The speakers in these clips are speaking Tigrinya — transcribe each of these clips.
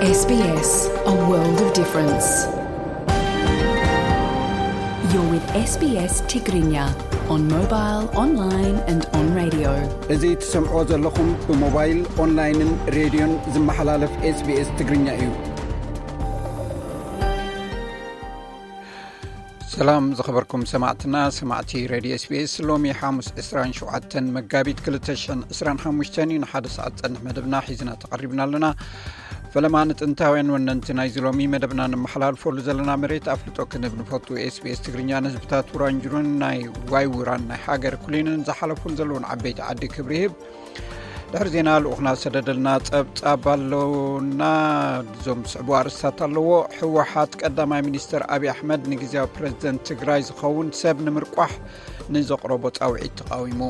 S B S, a world of difference. You're with S B S Tigrinya on mobile, online and on radio. እዚ ትሰምዕዎ ዘለኹም ብሞባይል፣ ኦንላይንን ሬድዮን ዝመሓላለፍ SBS ትግርኛ እዩ። ሰላም ዝኸበርኩም ሰማዕትና፣ ሰማዕቲ ሬድዮ SBS። ሎሚ ሓሙስ ዕስራን ሸውዓተን መጋቢት ክልተ ሽሕን ዕስራን ሓሙሽተን እዩ። ንሓደ ሰዓት ጸንሕ መደብና ሒዝና ተቐሪብና ኣለና። ፈለማ ንጥንታውያን ወነንቲ ናይዚ ሎሚ መደብና ንመሓላልፈሉ ዘለና መሬት ኣፍልጦ ክንህብ ንፈቱ። SBS ትግርኛ ንህዝብታት ውራንጅሩን ናይ ዋይ ውራን ናይ ሃገር ኩሊንን ዝሓለፉን ዘለውን ዓበይቲ ዓዲ ክብሪ ይህብ። ድሕሪ ዜና ልኡኽና ሰደደልና ጸብጻብ ኣለውና። እዞም ዝስዕቡ ኣርእስታት ኣለዎ። ህወሓት ቀዳማይ ሚኒስተር ኣብይ ኣሕመድ ንግዜያዊ ፕረዚደንት ትግራይ ዝኸውን ሰብ ንምርቋሕ ንዘቕረቦ ጻውዒት ተቓዊሙ።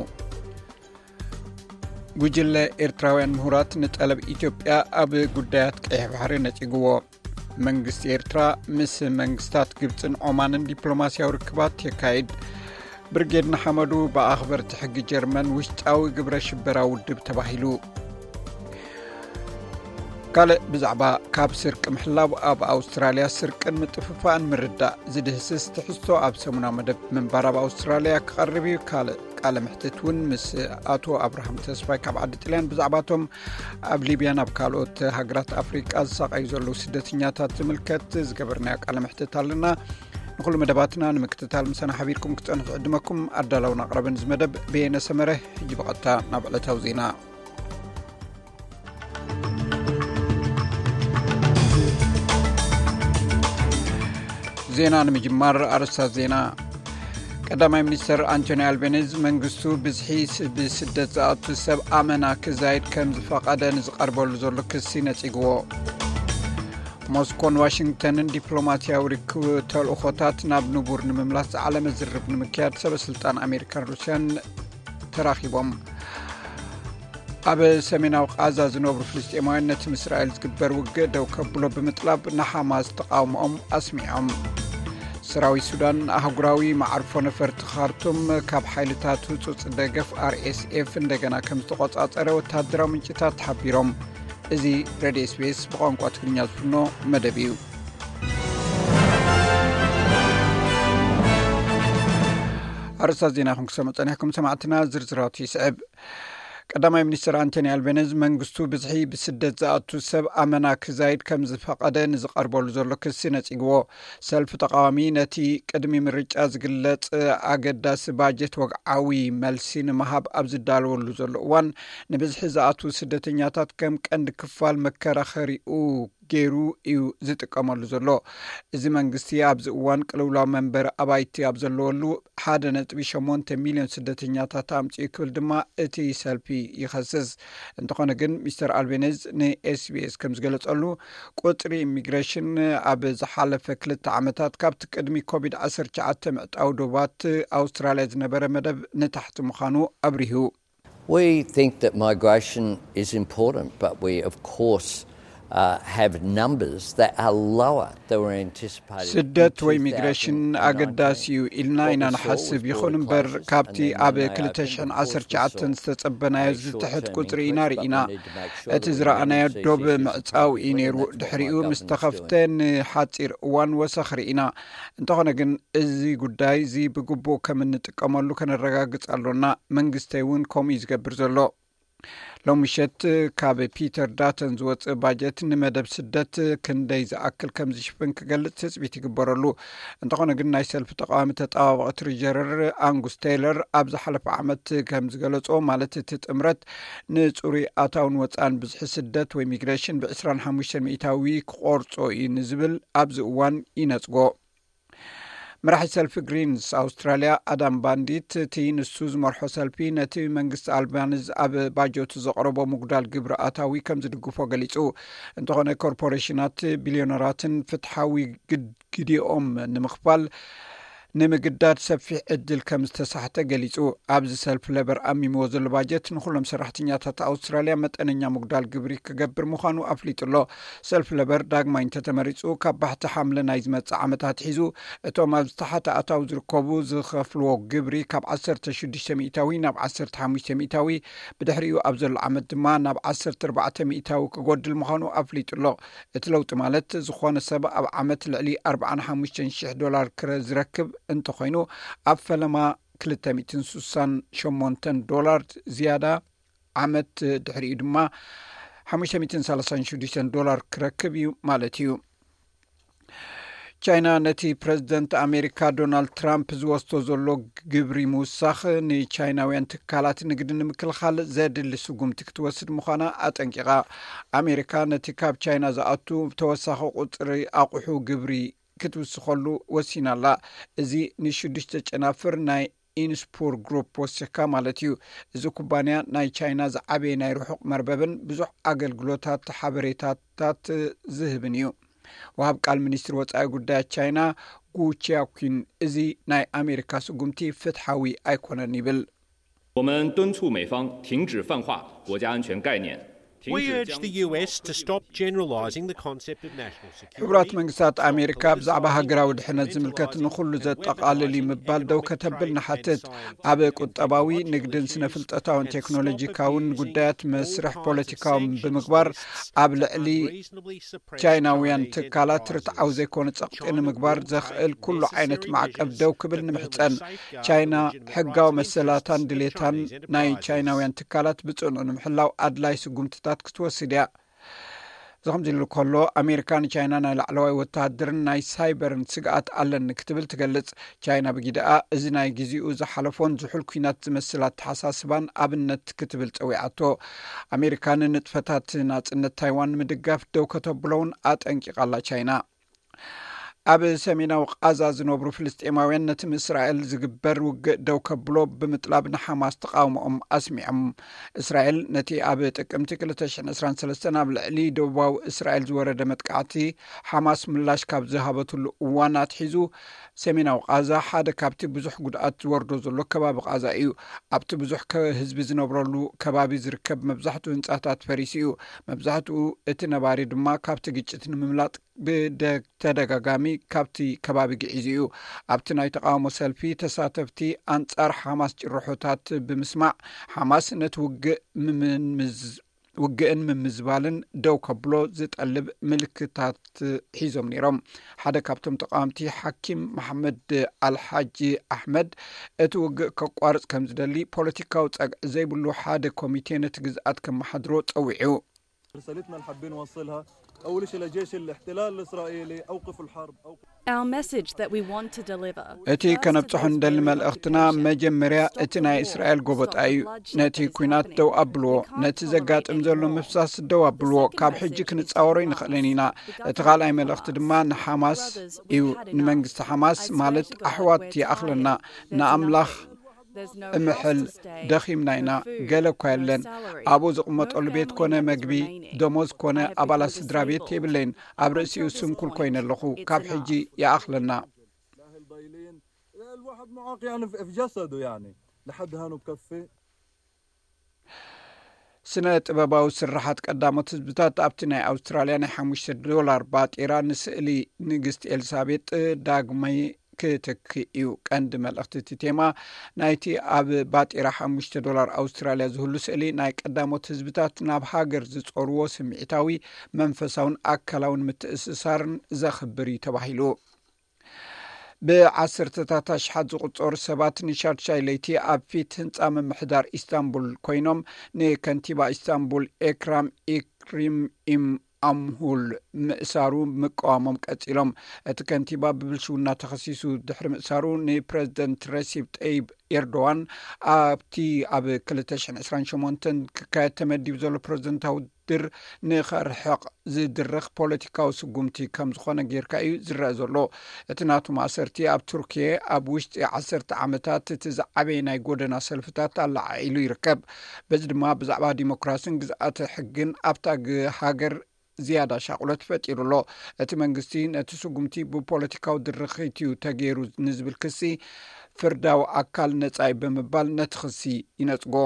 ጉጅለ ኤርትራውያን ምሁራት ንጠለብ ኢትዮጵያ ኣብ ጉዳያት ቀይሕ ባሕሪ ነጺግዎ። መንግስቲ ኤርትራ ምስ መንግስታት ግብጽን ዖማንን ዲፕሎማስያዊ ርክባት የካይድ። ብርጌድ ንሓመዱ ብኣኽበርቲ ሕጊ ጀርመን ውሽጣዊ ግብረ ሽበራ ውድብ ተባሂሉ። ካልእ ብዛዕባ ካብ ስርቂ ምሕላው ኣብ ኣውስትራልያ ስርቅን ምጥፍፋእን ምርዳእ ዝድህስስ ትሕዝቶ ኣብ ሰሙናዊ መደብ ምንባር ኣብ ኣውስትራልያ ክቐርብ እዩ። ካልእ ቃለ ምሕትት እውን ምስ ኣቶ ኣብርሃም ተስፋይ ካብ ዓዲ ጥልያን ብዛዕባቶም ኣብ ሊብያን ኣብ ካልኦት ሃገራት ኣፍሪቃ ዝሳቐዩ ዘለዉ ስደተኛታት ዝምልከት ዝገበርናዮ ቃለ ምሕትት ኣለና። ንኹሉ መደባትና ንምክትታል ምሳና ሓቢርኩም ክትጸንሑ ዝዕድመኩም ኣዳላውን ኣቕረብን እዚ መደብ በየነ ሰመረ። ሕጂ ብቐጥታ ናብ ዕለታዊ ዜና። ዜና ንምጅማር ኣርእስታት ዜና። ቀዳማይ ሚኒስተር ኣንቶኒ ኣልቤኒዝ መንግስቱ ብዝሒ ስ-፣ ብስደት ዝኣቱ ሰብ ኣመና ክዛይድ ከም ዝፈቐደ ንዝቐርበሉ ዘሎ ክሲ ነጺግዎ። ሞስኮን ዋሽንግተንን ዲፕሎማስያዊ ርክብ ተልእኾታት ናብ ንቡር ንምምላስ ዝዓለመ ዝርርብ ንምክያድ ሰበ ስልጣን ኣሜሪካን ሩስያን ተራኺቦም። ኣብ ሰሜናዊ ቃዛ ዝነብሩ ፍልስጤማውያን ነቲ ምስ እስራኤል ዝግበር ውግእ ደው ከብሎ ብምጥላብ ንሓማስ ተቓውሞኦም ኣስሚዖም። ሰራዊት ሱዳን ኣህጉራዊ መዓርፎ ነፈርቲ ካርቱም ካብ ሓይልታት ህጹጽ ደገፍ ኣር ኤስ ኤፍ እንደገና ከም ዝተቖጻጸረ ወተሃደራዊ ምንጭታት ሓቢሮም። እዚ ሬድዮ ኤስ ቢ ኤስ ብቋንቋ ትግርኛ ዝፍኖ መደብ እዩ። ኣርእስታት ዜና ኢኹም ክሰምዑ ጸኒሕኩም ሰማዕትና፣ ዝርዝራቱ ይስዕብ። ቀዳማይ ሚኒስትር ኣንቶኒ ኣልቤኒዝ መንግስቱ ብዝሒ ብስደት ዝኣቱ ሰብ ኣመና ክዛይድ ከም ዝፈቐደ ንዝቐርበሉ ዘሎ ክሲ ነጺግዎ። ሰልፊ ተቃዋሚ ነቲ ቅድሚ ምርጫ ዝግለጽ ኣገዳሲ ባጀት ወግዓዊ መልሲ ንምሃብ ኣብ ዝዳለወሉ ዘሎ እዋን፣ ንብዝሒ ዝኣቱ ስደተኛታት ከም ቀንዲ ክፋል መከራኸሪኡ ገይሩ እዩ ዝጥቀመሉ ዘሎ። እዚ መንግስቲ ኣብዚ እዋን ቅልውላው መንበሪ ኣባይቲ ኣብ ዘለወሉ ሓደ ነጥቢ ሸሞንተ ሚልዮን ስደተኛታት ኣምጺኡ ክብል ድማ እቲ ሰልፊ ይኸስስ። እንተኾነ ግን ሚስተር ኣልቤኒዝ ን ኤስ ቢ ኤስ ከም ዝገለጸሉ፣ ቁጽሪ ኢሚግሬሽን ኣብ ዝሓለፈ ክልተ ዓመታት ካብቲ ቅድሚ ኮቪድ ዓሰርተ ትሽዓተ ምዕጻው ዶባት ኣውስትራልያ ዝነበረ መደብ ንታሕቲ ምዃኑ ኣብሪሁ። We think that migration is important, but we, of course, uh, have numbers that are lower than were anticipated in ስደት ወይ ኢሚግሬሽን two thousand nineteen. ኣገዳሲ እዩ ኢልና ኢና ንሓስብ። ይኹን እምበር፣ ካብቲ ኣብ ክልተ ሽሕን ዓሰርተ ትሽዓተን ዝተጸበናዮ ዝትሕት ቁጽሪ ኢና ርኢና። እቲ ዝረኣናዮ ዶብ ምዕጻው እዩ ነይሩ። ድሕሪኡ ምስ ተኸፍተ ንሓጺር እዋን ወሰኽ ርኢና። እንተኾነ ግን፣ እዚ ጉዳይ እዚ ብግቡእ ከም እንጥቀመሉ ከነረጋግጽ ኣሎና። መንግስተይ እውን ከምኡ እዩ ዝገብር ዘሎ። ሎሚ ምሸት ካብ ፒተር ዳተን ዝወጽእ ባጀት ንመደብ ስደት ክንደይ ዝኣክል ከም ዝሽፍን ክገልጽ ትጽቢት ይግበረሉ። እንተኾነ ግን፣ ናይ ሰልፊ ተቃዋሚ ተጣባባቒ ትሪጀረር ኣንጉስ ቴይለር ኣብ ዝሓለፈ ዓመት ከም ዝገለጾ፣ ማለት እቲ ጥምረት ንጽሩይ ኣታውን ወጻእን ብዝሒ ስደት ወይ ሚግሬሽን ብ ዕስራን ሓሙሽተን ሚእታዊ ክቆርጾ እዩ ንዝብል ኣብዚ እዋን ይነጽጎ። መራሒ ሰልፊ ግሪንስ ኣውስትራልያ ኣዳም ባንዲት፣ እቲ ንሱ ዝመርሖ ሰልፊ ነቲ መንግስቲ ኣልባኒዝ ኣብ ባጀቱ ዘቕረቦ ምጉዳል ግብሪ ኣታዊ ከም ዝድግፎ ገሊጹ። እንተኾነ፣ ኮርፖሬሽናት፣ ቢልዮነራትን ፍትሓዊ ግድ-፣ ግዲኦም ንምኽፋል ንምግዳድ ሰፊሕ ዕድል ከም ዝተሳሕተ ገሊጹ። ኣብዚ ሰልፍ ለበር ኣሚምዎ ዘሎ ባጀት ንኹሎም ሰራሕተኛታት ኣውስትራልያ መጠነኛ ምጉዳል ግብሪ ክገብር ምዃኑ ኣፍሊጡ ኣሎ። ሰልፍ ለበር ዳግማይ እንተተመሪጹ፣ ካብ ባሕቲ ሓምለ ናይ ዝመጽእ ዓመታት ሒዙ፣ እቶም ኣብ ዝተሓተ ኣታዊ ዝርከቡ ዝኸፍልዎ ግብሪ ካብ ዓሰርተ ሽዱሽተ ሚእታዊ ናብ ዓሰርተ ሓሙሽተ ሚእታዊ፣ ብድሕሪኡ ኣብ ዘሎ ዓመት ድማ ናብ ዓሰርተ ኣርባዕተ ሚእታዊ ክጎድል ምዃኑ ኣፍሊጡ ኣሎ። እቲ ለውጢ ማለት፣ ዝኾነ ሰብ ኣብ ዓመት ልዕሊ ኣርባዓን ሓሙሽተን ሽሕ ዶላር ክረ-፣ ዝረክብ እንተኾይኑ፣ ኣብ ፈለማ ክልተ ሚእትን ስሳን ሸሞንተን ዶላር ዝያዳ፣ ዓመት ድሕሪኡ ድማ ሓሙሽተ ሚእትን ሰላሳን ሽዱሽተን ዶላር ክረክብ እዩ ማለት እዩ። ቻይና ነቲ ፕረዚደንት ኣሜሪካ ዶናልድ ትራምፕ ዝወስዶ ዘሎ ግብሪ ምውሳኽ ንቻይናውያን ትካላት ንግዲ ንምክልኻል ዘድሊ ስጉምቲ ክትወስድ ምዃና ኣጠንቂቓ። ኣሜሪካ ነቲ ካብ ቻይና ዝኣቱ ተወሳኺ ቁጽሪ ኣቑሑ ግብሪ ክትውስኸሉ ወሲና ኣላ። እዚ ንሽዱሽተ ጨናፍር ናይ ኢንስፑር ግሩፕ ወሲኽካ ማለት እዩ። እዚ ኩባንያ ናይ ቻይና ዝዓበየ ናይ ርሑቕ መርበብን ብዙሕ ኣገልግሎታት ሓበሬታታት ዝህብን እዩ። ወሃብ ቃል ሚኒስትሪ ወጻኢ ጉዳያት ቻይና ጉ ቺያኩን፣ እዚ ናይ ኣሜሪካ ስጉምቲ ፍትሓዊ ኣይኮነን ይብል። 我们敦促美方停止泛化国家安全概念，停 We 止 urge 将 the U S to stop generalizing the concept of national security. ሕቡራት መንግስታት ኣሜሪካ ብዛዕባ ሃገራዊ ድሕነት ዝምልከት ንኹሉ ዘጠቓልል እዩ ምባል ደው ከተብል ንሓትት። ኣብ ቁጠባዊ፣ ንግድን ስነ ፍልጠታውን ቴክኖሎጂካውን ጉዳያት መስርሕ ፖለቲካውን ብምግባር ኣብ ልዕሊ ቻይናውያን ትካላት ርትዓዊ ዘይኮነ ጸቕጢ ንምግባር ዘኽእል ኩሉ ዓይነት ማዕቀብ ደው ክብል ንምሕጸን። ቻይና ሕጋዊ መሰላታን ድሌታን ናይ ቻይናውያን ትካላት ብጽኑዕ ንምሕላው ኣድላይ ስጉምትታት ክትወስድ እያ። እዚ ከምዚ ኢሉ ከሎ፣ ኣሜሪካ ንቻይና ናይ ላዕለዋይ ወተሃደርን ናይ ሳይበርን ስግኣት ኣለኒ ክትብል ትገልጽ። ቻይና ብጊደኣ እዚ ናይ ግዜኡ ዝሓለፎን ዝሑል ኲናት ዝመስል ኣተሓሳስባን ኣብነት ክትብል ጸዊዓቶ። ኣሜሪካ ንንጥፈታት ናጽነት ታይዋን ንምድጋፍ ደው ከተብሎ እውን ኣጠንቂቓ ኣላ ቻይና። ኣብ ሰሜናዊ ቃዛ ዝነብሩ ፍልስጤማውያን ነቲ ምስ እስራኤል ዝግበር ውግእ ደው ከብሎ ብምጥላብ ንሓማስ ተቓውሞኦም ኣስሚዖም። እስራኤል ነቲ ኣብ ጥቅምቲ ክልተ ሽሕን ዕስራን ሰለስተን ኣብ ልዕሊ ደቡባዊ እስራኤል ዝወረደ መጥቃዕቲ ሓማስ ምላሽ ካብ ዝሃበትሉ እዋን ኣትሒዙ፣ ሰሜናዊ ቃዛ ሓደ ካብቲ ብዙሕ ጉድኣት ዝወርዶ ዘሎ ከባቢ ቃዛ እዩ። ኣብቲ ብዙሕ ከ-፣ ህዝቢ ዝነብረሉ ከባቢ ዝርከብ መብዛሕትኡ ህንጻታት ፈሪሱ እዩ። መብዛሕትኡ እቲ ነባሪ ድማ ካብቲ ግጭት ንምምላጥ ብተደጋጋሚ ካብቲ ከባቢ ግዒዙ እዩ። ኣብቲ ናይ ተቓውሞ ሰልፊ ተሳተፍቲ ኣንጻር ሓማስ ጭርሖታት ብምስማዕ፣ ሓማስ ነቲ ውግእ ምምዝ-፣ ውግእን ምምዝባልን ደው ከብሎ ዝጠልብ ምልክታት ሒዞም ነይሮም። ሓደ ካብቶም ተቓወምቲ፣ ሓኪም መሓመድ ኣልሓጂ ኣሕመድ፣ እቲ ውግእ ከቋርጽ ከም ዝደሊ፣ ፖለቲካዊ ጸግዒ ዘይብሉ ሓደ ኮሚቴ ነቲ ግዝኣት ከመሓድሮ ጸዊዑ። رسالتنا اللي حابين نوصلها، أول شيء لجيش الاحتلال الإسرائيلي: أوقفوا الحرب، أوقفوا. Our message that we want to deliver እቲ ከነብጽሖ እንደሊ መልእኽትና፣ መጀመርያ እቲ ናይ እስራኤል ጎበጣ እዩ። ነቲ ኲናት ደው ኣብልዎ፣ ነቲ ዘጋጥም ዘሎ ምፍሳስ ደው ኣብልዎ። ካብ ሕጂ ክንጻወሮ ይንኽእልን ኢና። እቲ ካልኣይ መልእኽቲ ድማ ንሓማስ እዩ፣ ንመንግስቲ ሓማስ፣ ማለት ኣሕዋት ይኣኽለና። ንኣምላኽ እምሕል፣ ደኺምና ኢና። ገለ እኳ የለን። ኣብኡ ዝቕመጠሉ ቤት ኮነ መግቢ፣ ደሞዝ ኮነ ኣባላት ስድራ ቤት የብለይን። ኣብ ርእሲኡ ስንኩል ኮይነ ኣለኹ። ካብ ሕጂ ይኣኽለና። الأهل ضايلين. الواحد معاق يعني في في جسده يعني. لحد هانو بكفي. ስነ ጥበባዊ ስርሓት ቀዳሞት ህዝብታት ኣብቲ ናይ ኣውስትራልያ ናይ ሓሙሽተ ዶላር ባጤራ ንስእሊ ንግስቲ ኤልሳቤጥ ዳግማይ ክትክእ እዩ። ቀንዲ መልእኽቲ እቲ ቴማ ናይቲ ኣብ ባጤራ ሓሙሽተ ዶላር ኣውስትራልያ ዝህሉ ስእሊ፣ ናይ ቀዳሞት ህዝብታት ናብ ሃገር ዝጾርዎ ስምዒታዊ፣ መንፈሳውን ኣካላውን ምትእስሳርን ዘኽብር እዩ ተባሂሉ። ብዓሰርተታት ኣሽሓት ዝቑጸሩ ሰባት ንሻድሻይ ለይቲ ኣብ ፊት ህንጻ ምምሕዳር ኢስታንቡል ኮይኖም፣ ንከንቲባ ኢስታንቡል ኤክራም ኢክሪም ኢም ኣምሁል ምእሳሩ ምቅዋሞም ቀጺሎም። እቲ ከንቲባ ብብልሽውና ተኸሲሱ ድሕሪ ምእሳሩ፣ ንፕረዚደንት ረሲብ ጠይብ ኤርዶዋን ኣብቲ ኣብ ክልተ ሽሕን ዕስራን ሸሞንተን ክካየድ ተመዲቡ ዘሎ ፕረዚደንታዊ ድር ንኸርሕቕ ዝድርኽ ፖለቲካዊ ስጉምቲ ከም ዝኾነ ጌርካ እዩ ዝረአ ዘሎ። እቲ ናቱ ማእሰርቲ ኣብ ቱርኪየ ኣብ ውሽጢ ዓሰርተ ዓመታት እቲ ዝዓበየ ናይ ጎደና ሰልፍታት ኣለዓዒሉ ይርከብ። በዚ ድማ ብዛዕባ ዲሞክራሲን ግዝኣተ ሕግን ኣብታ ግ-፣ ሃገር ዝያዳ ሻቕሎት ፈጢሩ ኣሎ። እቲ መንግስቲ ነቲ ስጉምቲ ብፖለቲካዊ ድርኺት እዩ ተገይሩ ንዝብል ክሲ፣ ፍርዳዊ ኣካል ነጻ እዩ ብምባል ነቲ ክሲ ይነጽጎ።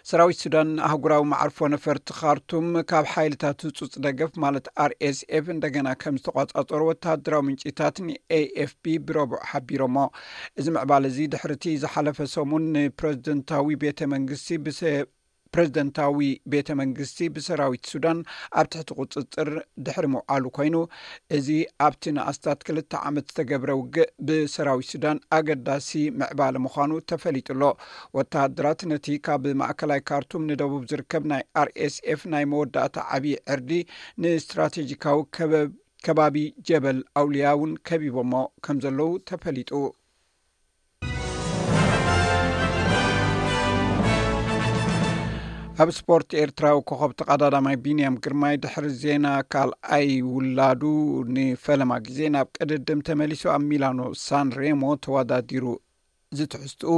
ሰራዊት ሱዳን ኣህጉራዊ መዓርፎ ነፈርቲ ካርቱም ካብ ሓይልታት ህጹጽ ደገፍ ማለት ኣር ኤስ ኤፍ እንደገና ከም ዝተቋጻጸሩ ወተሃደራዊ ምንጭታት ን ኤ ኤፍ ፒ ብረቡዕ ሓቢሮሞ። እዚ ምዕባለ እዚ ድሕርቲ ዝሓለፈ ሰሙን ንፕረዚደንታዊ ቤተ መንግስቲ ብሰ-፣ ፕረዚደንታዊ ቤተ መንግስቲ ብሰራዊት ሱዳን ኣብ ትሕቲ ቁጽጽር ድሕሪ ምውዓሉ ኮይኑ፣ እዚ ኣብቲ ንኣስታት ክልተ ዓመት ዝተገብረ ውግእ ብሰራዊት ሱዳን ኣገዳሲ ምዕባለ ምዃኑ ተፈሊጡ ኣሎ። ወተሃደራት ነቲ ካብ ማእከላይ ካርቱም ንደቡብ ዝርከብ ናይ ኣር ኤስ ኤፍ ናይ መወዳእታ ዓብዪ ዕርዲ ንስትራቴጂካዊ ከበብ-፣ ከባቢ ጀበል ኣውልያ እውን ከቢቦሞ ከም ዘለዉ ተፈሊጡ። ኣብ ስፖርት፣ ኤርትራዊ ኮኸብ ተቐዳዳማይ ቢንያም ግርማይ ድሕሪ ዜና ካልኣይ ውላዱ ንፈለማ ግዜ ናብ ቅድድም ተመሊሱ ኣብ ሚላኖ ሳን ሬሞ ተወዳዲሩ። እዚ ትሕዝትኡ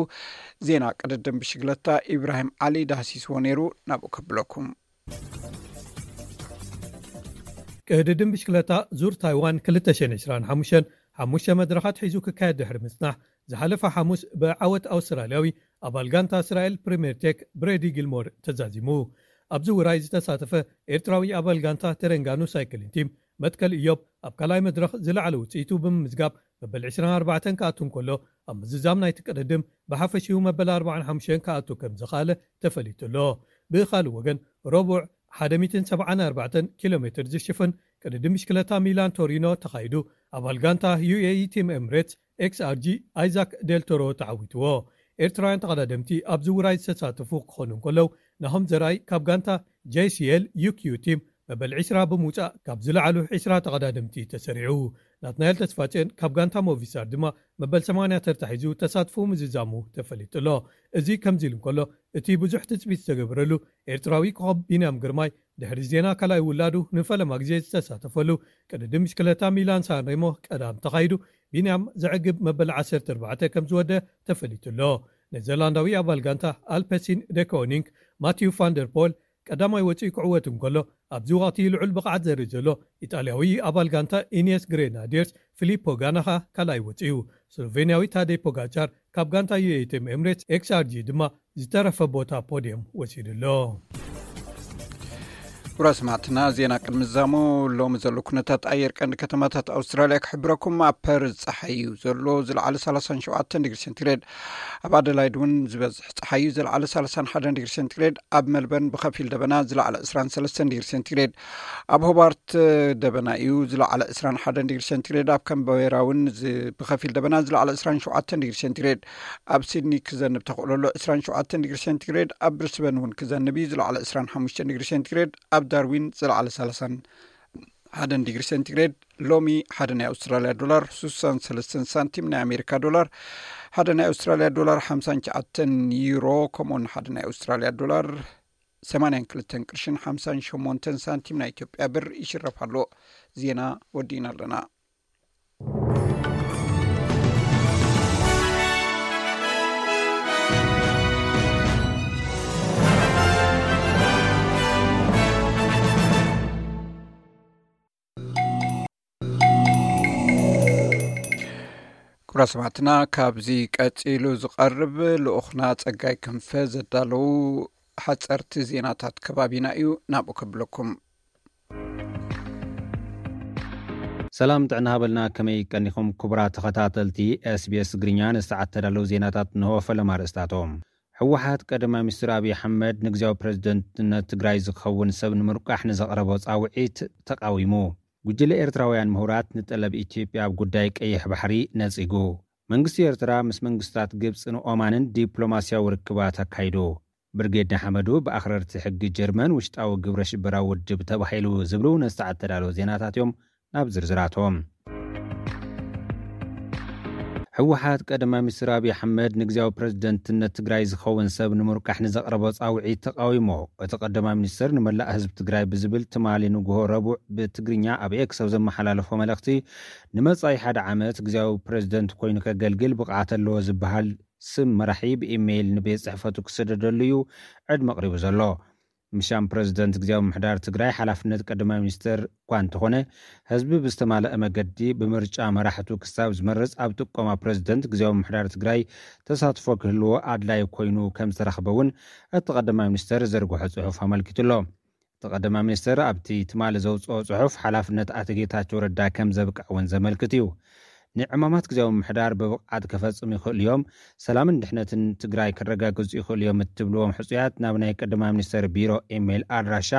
ዜና ቅድድም ብሽግለታ ኢብራሂም ዓሊ ዳህሲስዎ ነይሩ። ናብኡ ከብለኩም። ቅድድም ብሽክለታ ዙር ታይዋን ክልተ ሽሕን ዕስራን ሓሙሽተን ሓሙሽተ መድረኻት ሒዙ ክካየድ ድሕሪ ምጽናሕ፣ ዝሓለፈ ሓሙስ ብዓወት ኣውስትራልያዊ ኣባል ጋንታ እስራኤል ፕሪምየር ቴክ ብሬዲ ጊልሞር ተዛዚሙ። ኣብዚ ውራይ ዝተሳተፈ ኤርትራዊ ኣባል ጋንታ ተረንጋኑ ሳይክሊን ቲም መትከል ኢዮብ ኣብ ካልኣይ መድረኽ ዝለዓለ ውጽኢቱ ብምምዝጋብ መበል ዕስራን ኣርባዕተን ክኣቱ እንከሎ፣ ኣብ ምዝዛም ናይቲ ቅድድም ብሓፈሽኡ መበል ኣርባዓን ሓሙሽተን ክኣቱ ከም ዝኸኣለ ተፈሊጡ ኣሎ። ብኻልእ ወገን፣ ረቡዕ ሓደ ሚእትን ሰብዓን ኣርባዕተን ኪሎ ሜትር ዝሽፍን ቅድድም ብሽክለታ ሚላን ቶሪኖ ተኻይዱ፣ ኣባል ጋንታ ዩ ኤ ኢ ቲም ኤምሬትስ ኤክስ ኣር ጂ ኣይዛክ ዴልቶሮ ተዓዊትዎ። ኤርትራውያን ተቐዳደምቲ ኣብዚ ውራይ ዝተሳተፉ ክኾኑ እንከለዉ፣ ናሆም ዘርኣይ ካብ ጋንታ ጄ ሲ ኤል ዩ ኪው ቲም መበል ዕስራ ብምውጻእ ካብ ዝለዓሉ ዕስራ ተቐዳደምቲ ተሰሪዑ። ናትናኤል ተስፋጽዮን ካብ ጋንታ ሞቪስታር ድማ መበል ሰማንያ ተርታ ሒዙ ተሳትፎ ምዝዛሙ ተፈሊጡ ኣሎ። እዚ ከምዚ ኢሉ እንከሎ፣ እቲ ብዙሕ ትጽቢት ዝተገበረሉ ኤርትራዊ ኮኸብ ቢንያም ግርማይ ድሕሪ ዜና ካልኣይ ውላዱ ንፈለማ ግዜ ዝተሳተፈሉ ቅድድም ብሽክለታ ሚላን ሳንሬሞ ቀዳም ተኻይዱ፣ ቢንያም ዘዕግብ መበል ዓሰርተ ኣርባዕተ ከም ዝወደ ተፈሊጡ ኣሎ። ኔዘርላንዳዊ ኣባል ጋንታ ኣልፐሲን ደኮኒንግ ማቲዩ ፋንደርፖል ቀዳማይ ወፂኡ ክዕወት እንከሎ፣ ኣብዚ ወቕቲ ልዑል ብቕዓት ዘርኢ ዘሎ ኢጣልያዊ ኣባል ጋንታ ኢኒየስ ግሬናዲየርስ ፊሊፖ ጋናኻ ካልኣይ ወፂኡ። ስሎቬንያዊ ታዴ ፖጋቻር ካብ ጋንታ ዩ ኤ ኢ ቲም ኤምሬትስ ኤክስ ኣር ጂ ድማ ዝተረፈ ቦታ ፖድየም ወሲዱ ኣሎ። ክቡራት ሰማዕትና፣ ዜና ቅድሚ ዝዛሙ ሎሚ ዘሎ ኩነታት ኣየር ቀንዲ ከተማታት ኣውስትራልያ ክሕብረኩም። ኣብ ፐርዝ ጸሓይ እዩ ዘሎ፣ ዝለዓለ ሰላሳን ሸውዓተን ዲግሪ ሴንቲግሬድ። ኣብ ኣደላይድ እውን ዝበዝሕ ጸሓይ እዩ፣ ዝለዓለ ሰላሳን ሓደን ዲግሪ ሴንቲግሬድ። ኣብ መልበርን ብኸፊል ደበና፣ ዝለዓለ ዕስራን ሰለስተን ዲግሪ ሴንቲግሬድ። ኣብ ሆባርት ደበና እዩ፣ ዝለዓለ ዕስራን ሓደን ዲግሪ ሴንቲግሬድ። ኣብ ካምቤራ እውን ዝ-፣ ብኸፊል ደበና፣ ዝለዓለ ዕስራን ሸውዓተን ዲግሪ ሴንቲግሬድ። ኣብ ሲድኒ ክዘንብ ተኽእሎ ኣሎ፣ ዕስራን ሸውዓተን ዲግሪ ሴንቲግሬድ። ኣብ ብሪስበን እውን ክዘንብ እዩ፣ ዝለዓለ ዕስራን ሓሙሽተን ዲግሪ ሴንቲግሬድ። ኣብ ዳርዊን ዝለዓለ ሰላሳን ሓደን ዲግሪ ሴንቲግሬድ። ሎሚ ሓደ ናይ ኣውስትራልያ ዶላር ስሳን ሰለስተን ሳንቲም፣ ናይ ኣሜሪካ ዶላር ሓደ ናይ ኣውስትራልያ ዶላር ሓምሳን ትሽዓተን ዩሮ፣ ከምኡውን ሓደ ናይ ኣውስትራልያ ዶላር ሰማንያን ክልተን ቅርሽን ሓምሳን ሸሞንተን ሳንቲም ናይ ኢትዮጵያ ብር ይሽረፍ ኣሎ። ዜና ወዲእና ኣለና። ክቡራት ሰማዕትና፣ ካብዚ ቀጺሉ ዝቐርብ ልኡኽና ጸጋይ ክንፈ ዘዳለዉ ሓጸርቲ ዜናታት ከባቢና እዩ፣ ናብኡ ከብለኩም። ሰላም ጥዕና ሃበልና፣ ከመይ ቀኒኹም ክቡራት ተኸታተልቲ ኤስ ቢ ኤስ ትግርኛ? ንሰዓት ተዳለዉ ዜናታት እንሆ፣ ፈለማ ኣርእስታቶም። ህወሓት ቀዳማይ ሚኒስትር ኣብይ ኣሕመድ ንግዚያዊ ፕሬዝደንትነት ትግራይ ዝኸውን ሰብ ንምርቋሕ ንዘቕረቦ ጻውዒት ተቓዊሙ። ጉጅለ ኤርትራውያን ምሁራት ንጠለብ ኢትዮጵያ ኣብ ጉዳይ ቀይሕ ባሕሪ ነጺጉ። መንግስቲ ኤርትራ ምስ መንግስታት ግብጽን ኦማንን ዲፕሎማስያዊ ርክባት ኣካይዱ። ብርጌድ ንሓመዱ ብኣኽረርቲ ሕጊ ጀርመን ውሽጣዊ ግብረ ሽበራዊ ውድብ ተባሂሉ ዝብሉ ነዚ ሰዓት ተዳለዉ ዜናታት እዮም። ናብ ዝርዝራቶም። ህወሓት ቀዳማይ ሚኒስትር ኣብይ ኣሕመድ ንግዚያዊ ፕሬዝደንትነት ትግራይ ዝኸውን ሰብ ንምርቃሕ ንዘቕረቦ ጻውዒት ተቓዊሞ። እቲ ቀዳማይ ሚኒስትር ንመላእ ህዝቢ ትግራይ ብዝብል ትማሊ ንግሆ ረቡዕ ብትግርኛ ኣብ ኤክስ ኣብ ዘመሓላለፎ መልእኽቲ፣ ንመጻኢ ሓደ ዓመት ግዚያዊ ፕሬዝደንት ኮይኑ ከገልግል ብቕዓት ኣለዎ ዝበሃል ስም መራሒ ብኢሜይል ንቤት ጽሕፈቱ ክስደደሉ እዩ ዕድመ ኣቕሪቡ ዘሎ። ምሻም ፕረዚደንት ግዜያዊ ምምሕዳር ትግራይ ሓላፍነት ቀዳማይ ሚኒስተር እኳ እንተኾነ፣ ህዝቢ ብዝተማልአ መገዲ ብምርጫ መራሕቱ ክሳብ ዝመርጽ ኣብ ጥቆማ ፕረዚደንት ግዜያዊ ምምሕዳር ትግራይ ተሳትፎ ክህልዎ ኣድላዪ ኮይኑ ከም ዝተረኽበ እውን እቲ ቀዳማይ ሚኒስተር ዘርግሖ ጽሑፍ ኣመልኪቱ ኣሎ። እቲ ቀዳማይ ሚኒስተር ኣብቲ ትማሊ ዘውጽኦ ጽሑፍ፣ ሓላፍነት ኣቶ ጌታቸው ረዳ ከም ዘብቅዕ እውን ዘመልክት እዩ። ንዕማማት ግዜያዊ ምምሕዳር ብብቕዓት ከፈጽሙ ይኽእሉ እዮም፣ ሰላምን ድሕነትን ትግራይ ከረጋግጹ ይኽእሉ እዮም እትብልዎም ሕጹያት ናብ ናይ ቀዳማይ ሚኒስተር ቢሮ ኢሜይል ኣድራሻ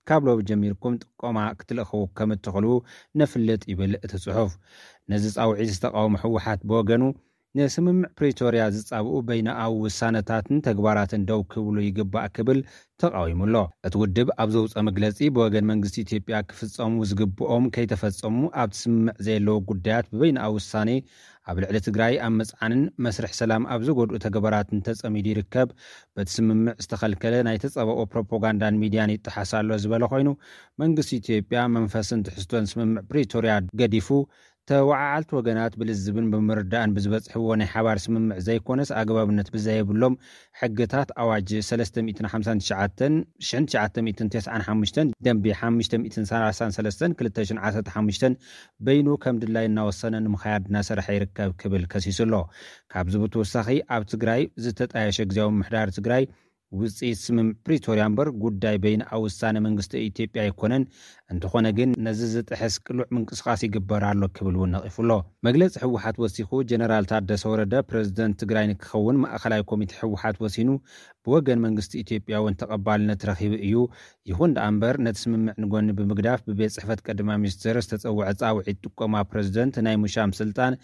ካብ ሎሚ ጀሚርኩም ጥቆማ ክትልእኹ ከም እትኽእሉ ነፍልጥ ይብል እቲ ጽሑፍ። ነዚ ጻውዒት ዝተቃወመ ህወሓት ብወገኑ፣ ንስምምዕ ፕሪቶርያ ዝጻብኡ በይነኣዊ ውሳነታትን ተግባራትን ደው ክብሉ ይግባእ ክብል ተቃዊሙ ኣሎ። እቲ ውድብ ኣብ ዘውፅኦ መግለጺ፣ ብወገን መንግስቲ ኢትዮጵያ ክፍጸሙ ዝግብኦም ከይተፈጸሙ ኣብቲ ስምምዕ ዘየለዉ ጉዳያት ብበይነኣዊ ውሳኔ ኣብ ልዕሊ ትግራይ ኣብ ምጽዓንን መስርሕ ሰላም ኣብ ዝጎድኡ ተግባራትን ተጸሚዱ ይርከብ። በቲ ስምምዕ ዝተኸልከለ ናይ ተጻብኦ ፕሮፓጋንዳን ሚድያን ይጠሓስ ኣሎ ዝበለ ኮይኑ፣ መንግስቲ ኢትዮጵያ መንፈስን ትሕዝቶን ስምምዕ ፕሪቶርያ ገዲፉ፣ ተወዓዓልቲ ወገናት ብልዝብን ብምርዳእን ብዝበጽሕዎ ናይ ሓባር ስምምዕ ዘይኮነስ፣ ኣግባብነት ብዘየብሎም ሕግታት ኣዋጅ ሰለስተ ሚእትን ሓምሳን ትሽዓተን፣ ሽሕን ትሽዓተ ሚእትን ተስዓን ሓሙሽተን፣ ደንቢ ሓሙሽተ ሚእትን ሰላሳን ሰለስተን፣ ክልተ ሽሕን ዓሰርተ ሓሙሽተን በይኑ ከም ድላይ እናወሰነ ንምኻያድ እናሰርሐ ይርከብ ክብል ከሲሱ ኣሎ። ካብዚ ብተወሳኺ፣ ኣብ ትግራይ ዝተጣየሸ ግዜያዊ ምምሕዳር ትግራይ ውፅኢት ስምምዕ ፕሪቶርያ እምበር ጉዳይ በይነኣዊ ውሳነ መንግስቲ ኢትዮጵያ ኣይኮነን። እንተኾነ ግን ነዚ ዝጥሕስ ቅሉዕ ምንቅስቓስ ይግበር ኣሎ ክብል እውን ነቒፉ ኣሎ። መግለፂ ህወሓት ወሲኹ፣ ጀነራል ታደሰ ወረደ ፕረዚደንት ትግራይ ንክኸውን ማእኸላይ ኮሚቴ ህወሓት ወሲኑ፣ ብወገን መንግስቲ ኢትዮጵያ እውን ተቐባልነት ረኺቡ እዩ። ይኹን ደኣ እምበር፣ ነቲ ስምምዕ ንጎኒ ብምግዳፍ ብቤት ጽሕፈት ቀዳማይ ሚኒስትር ዝተጸውዐ ጻውዒት ጥቆማ ፕረዚደንት ናይ ምሻም ስልጣን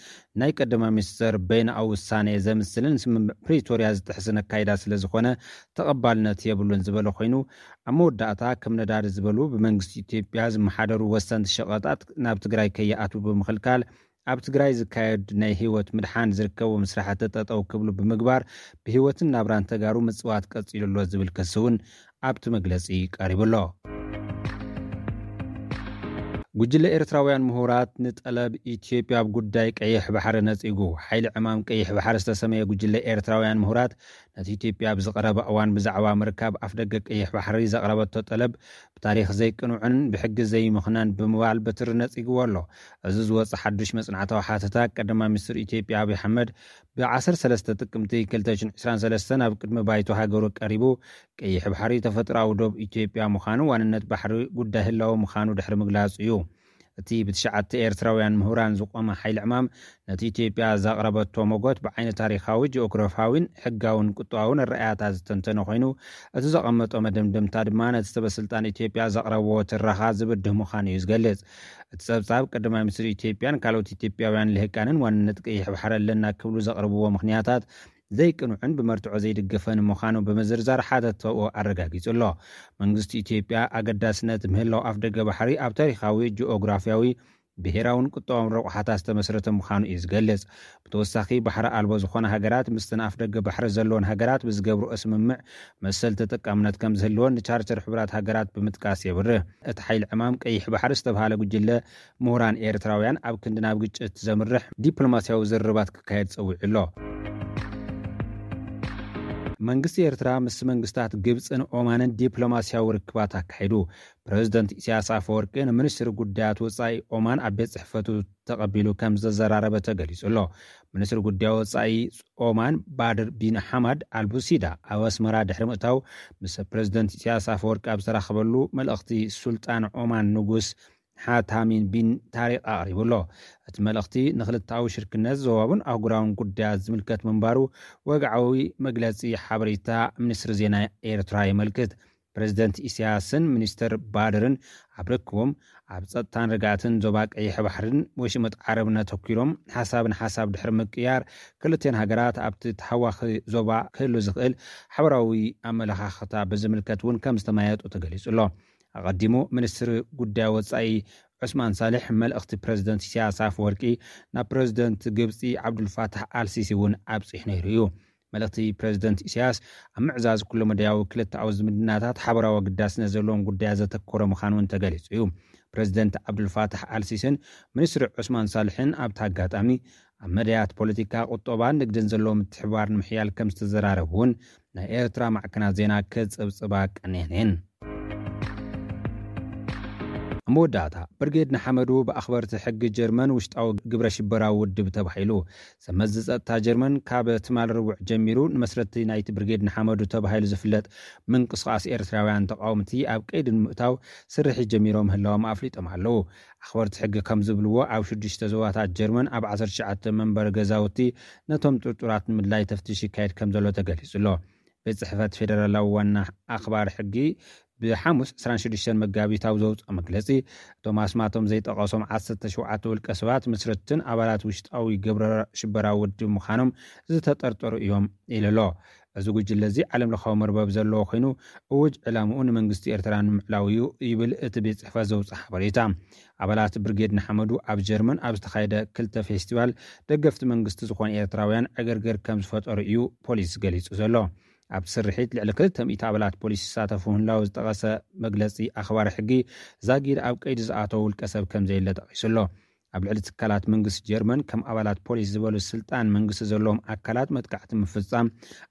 ናይ ቀዳማይ ሚኒስትር በይነኣዊ ውሳኔ ዘምስልን ስምምዕ ፕሪቶርያ ዝጥሕስን ኣካይዳ ስለ ዝኾነ ተቐባልነት የብሉን ዝበለ ኮይኑ፣ ኣብ መወዳእታ ከም ነዳዲ ዝበሉ ብመንግስቲ ኢትዮጵያ ዝመሓደሩ ወሰንቲ ሸቐጣት ናብ ትግራይ ከይኣትዉ ብምኽልካል፣ ኣብ ትግራይ ዝካየድ ናይ ህይወት ምድሓን ዝርከቦም ስራሕቲ ጠጠው ክብሉ ብምግባር፣ ብህይወትን ናብራን ተጋሩ ምጽዋት ቀጺሉ ኣሎ ዝብል ክሲ እውን ኣብቲ መግለጺ ቀሪቡ ኣሎ። ጉጅለ ኤርትራውያን ምሁራት ንጠለብ ኢትዮጵያ ኣብ ጉዳይ ቀይሕ ባሕሪ ነጺጉ። ሓይሊ ዕማም ቀይሕ ባሕሪ ዝተሰመየ ጉጅለ ኤርትራውያን ምሁራት ነቲ ኢትዮጵያ ኣብ ዝቐረበ እዋን ብዛዕባ ምርካብ ኣፍደገ ቀይሕ ባሕሪ ዘቕረበቶ ጠለብ ብታሪኽ ዘይቅኑዕን ብሕጊ ዘይምኽናን ብምባል በትሪ ነጺግዎ ኣሎ። እዚ ዝወጸ ሓዱሽ መጽናዕታዊ ሓተታ ቀዳማይ ሚኒስትር ኢትዮጵያ ኣብይ ኣሕመድ ብ13 ጥቅምቲ ክልተ ሽሕን ዕስራን ሰለስተን ኣብ ቅድሚ ባይቶ ሃገሩ ቀሪቡ፣ ቀይሕ ባሕሪ ተፈጥሮኣዊ ዶብ ኢትዮጵያ ምዃኑ፣ ዋንነት ባሕሪ ጉዳይ ህላወ ምዃኑ ድሕሪ ምግላጹ እዩ። እቲ ብትሽዓተ ኤርትራውያን ምሁራን ዝቖመ ሓይሊ ዕማም ነቲ ኢትዮጵያ ዘቕረበቶ መጎት ብዓይኒ ታሪኻዊ፣ ጂኦግራፊያዊን ሕጋውን ቁጠባውን ኣረኣእያታት ዝተንተነ ኮይኑ፣ እቲ ዘቐመጦ መደምደምታ ድማ ነቲ ሰበ ስልጣን ኢትዮጵያ ዘቕረብዎ ትረኻ ዝብድህ ምዃኑ እዩ ዝገልጽ። እቲ ጸብጻብ ቀዳማይ ሚኒስትር ኢትዮጵያን ካልኦት ኢትዮጵያውያን ልሂቃንን ዋንነት ቀይሕ ባሕሪ ኣለና ክብሉ ዘቕርብዎ ምኽንያታት ዘይቅኑዕን ብመርትዖ ዘይድገፈን ምዃኑ ብምዝርዛር ሓተትኡ ኣረጋጊጹ ኣሎ። መንግስቲ ኢትዮጵያ ኣገዳስነት ምህላው ኣፍደገ ባሕሪ ኣብ ታሪኻዊ፣ ጂኦግራፊያዊ፣ ብሄራውን ቁጠባውን ረቑሓታት ዝተመስረተ ምዃኑ እዩ ዝገልጽ። ብተወሳኺ፣ ባሕሪ ኣልቦ ዝኾና ሃገራት ምስተን ኣፍደገ ባሕሪ ዘለወን ሃገራት ብዝገብርኦ ስምምዕ መሰል ተጠቃምነት ከም ዝህልወን ንቻርተር ሕቡራት ሃገራት ብምጥቃስ የብርህ። እቲ ሓይሊ ዕማም ቀይሕ ባሕሪ ዝተብሃለ ጉጅለ ምሁራን ኤርትራውያን ኣብ ክንዲ ናብ ግጭት ዘምርሕ ዲፕሎማስያዊ ዝርርባት ክካየድ ጸዊዑ ኣሎ። መንግስቲ ኤርትራ ምስ መንግስታት ግብጽን ኦማንን ዲፕሎማስያዊ ርክባት ኣካይዱ። ፕረዚደንት ኢሳያስ ኣፈወርቂ ንሚኒስትሪ ጉዳያት ወጻኢ ኦማን ኣብ ቤት ጽሕፈቱ ተቐቢሉ ከም ዘዘራረበ ተገሊጹ ኣሎ። ሚኒስትሪ ጉዳያት ወጻኢ ኦማን ባድር ቢን ሓማድ ኣልቡሲዳ ኣብ ኣስመራ ድሕሪ ምእታው፣ ምስ ፕረዚደንት ኢሳያስ ኣፈወርቂ ኣብ ዝተራኸበሉ፣ መልእኽቲ ሱልጣን ኦማን ንጉስ ሓታሚን ቢን ታሪቅ ኣቕሪቡ ኣሎ። እቲ መልእኽቲ ንክልተኣዊ ሽርክነት፣ ዞባውን ኣህጉራውን ጉዳያት ዝምልከት ምንባሩ ወግዓዊ መግለጺ ሓበሬታ ሚኒስትሪ ዜና ኤርትራ የመልክት። ፕረዚደንት ኢሳያስን ሚኒስተር ባድርን ኣብ ርክቦም፣ ኣብ ጸጥታን ርግኣትን ዞባ ቀይሕ ባሕርን ወሽመጥ ዓረብን ኣተኲሮም፣ ሓሳብ ንሓሳብ ድሕሪ ምቅያር፣ ክልቲኤን ሃገራት ኣብቲ ተሃዋኺ ዞባ ክህሉ ዝኽእል ሓበራዊ ኣመለኻኽታ ብዝምልከት እውን ከም ዝተመያየጡ ተገሊጹ ኣሎ። ኣቐዲሙ፣ ሚኒስትሪ ጉዳይ ወጻኢ ዑስማን ሳልሕ፣ መልእኽቲ ፕረዚደንት ኢሳያስ ኣፈወርቂ ናብ ፕረዚደንት ግብጺ ዓብዱልፋታሕ ኣልሲሲ እውን ኣብጺሑ ነይሩ እዩ። መልእኽቲ ፕረዚደንት ኢሳያስ፣ ኣብ ምዕዛዝ ኩለመዳያዊ ክልተኣዊ ዝምድናታት ሓበራዊ ኣገዳስነት ዘለዎም ጉዳያት ዘተኮረ ምዃኑ እውን ተገሊጹ እዩ። ፕረዚደንት ዓብዱልፋታሕ ኣልሲስን ሚኒስትሪ ዑስማን ሳልሕን ኣብቲ ኣጋጣሚ፣ ኣብ መዳያት ፖለቲካ፣ ቁጠባን ንግድን ዘለዎ ምትሕብባር ንምሕያል ከም ዝተዘራረቡ እውን ናይ ኤርትራ ማዕከናት ዜና ክጽብጽባ ቀንየን እየን። መወዳእታ፣ ብርጌድ ንሓመዱ ብኣኽበርቲ ሕጊ ጀርመን ውሽጣዊ ግብረ ሽበራዊ ውድብ ተባሂሉ። ሰመዚ ጸጥታ ጀርመን ካብ ትማል ረቡዕ ጀሚሩ ንመስረቲ ናይቲ ብርጌድ ንሓመዱ ተባሂሉ ዝፍለጥ ምንቅስቓስ ኤርትራውያን ተቓወምቲ ኣብ ቀይዲ ንምእታው ስርሒት ጀሚሮም ምህላዎም ኣፍሊጦም ኣለዉ። ኣኽበርቲ ሕጊ ከም ዝብልዎ፣ ኣብ ሽዱሽተ ዞባታት ጀርመን ኣብ ዓሰርተ ትሽዓተ መንበሪ ገዛውቲ ነቶም ጥርጡራት ንምድላይ ተፍትሽ ይካየድ ከም ዘሎ ተገሊጹ ኣሎ። ቤት ጽሕፈት ፌደራላዊ ዋና ኣኽባር ሕጊ ብሓሙስ ዕስራን ሽዱሽተን መጋቢት ኣብ ዘውፅኦ መግለፂ፣ እቶም ኣስማቶም ዘይጠቐሶም ዓሰርተ ሸውዓተ ውልቀ ሰባት ምስርትን ኣባላት ውሽጣዊ ግብረ ሽበራዊ ውድብ ምዃኖም ዝተጠርጠሩ እዮም ኢሉ ኣሎ። እዚ ጉጅለ እዚ ዓለም ለኻዊ መርበብ ዘለዎ ኮይኑ፣ እውጅ ዕላምኡ ንመንግስቲ ኤርትራ ንምዕላው እዩ ይብል እቲ ቤት ጽሕፈት ዘውፅኦ ሓበሬታ። ኣባላት ብርጌድ ንሓመዱ ኣብ ጀርመን ኣብ ዝተኻየደ ክልተ ፌስቲቫል ደገፍቲ መንግስቲ ዝኾኑ ኤርትራውያን ዕግርግር ከም ዝፈጠሩ እዩ ፖሊስ ገሊጹ ዘሎ። ኣብቲ ስርሒት ልዕሊ ክልተ ሚእቲ ኣባላት ፖሊስ ይሳተፉ ምህላው ዝጠቐሰ መግለጺ ኣኽባሪ ሕጊ፣ ዛጊድ ኣብ ቀይዲ ዝኣተወ ውልቀ ሰብ ከም ዘየለ ጠቒሱ ኣሎ። ኣብ ልዕሊ ትካላት መንግስቲ ጀርመን ከም ኣባላት ፖሊስ ዝበሉ ስልጣን መንግስቲ ዘለዎም ኣካላት መጥቃዕቲ ምፍጻም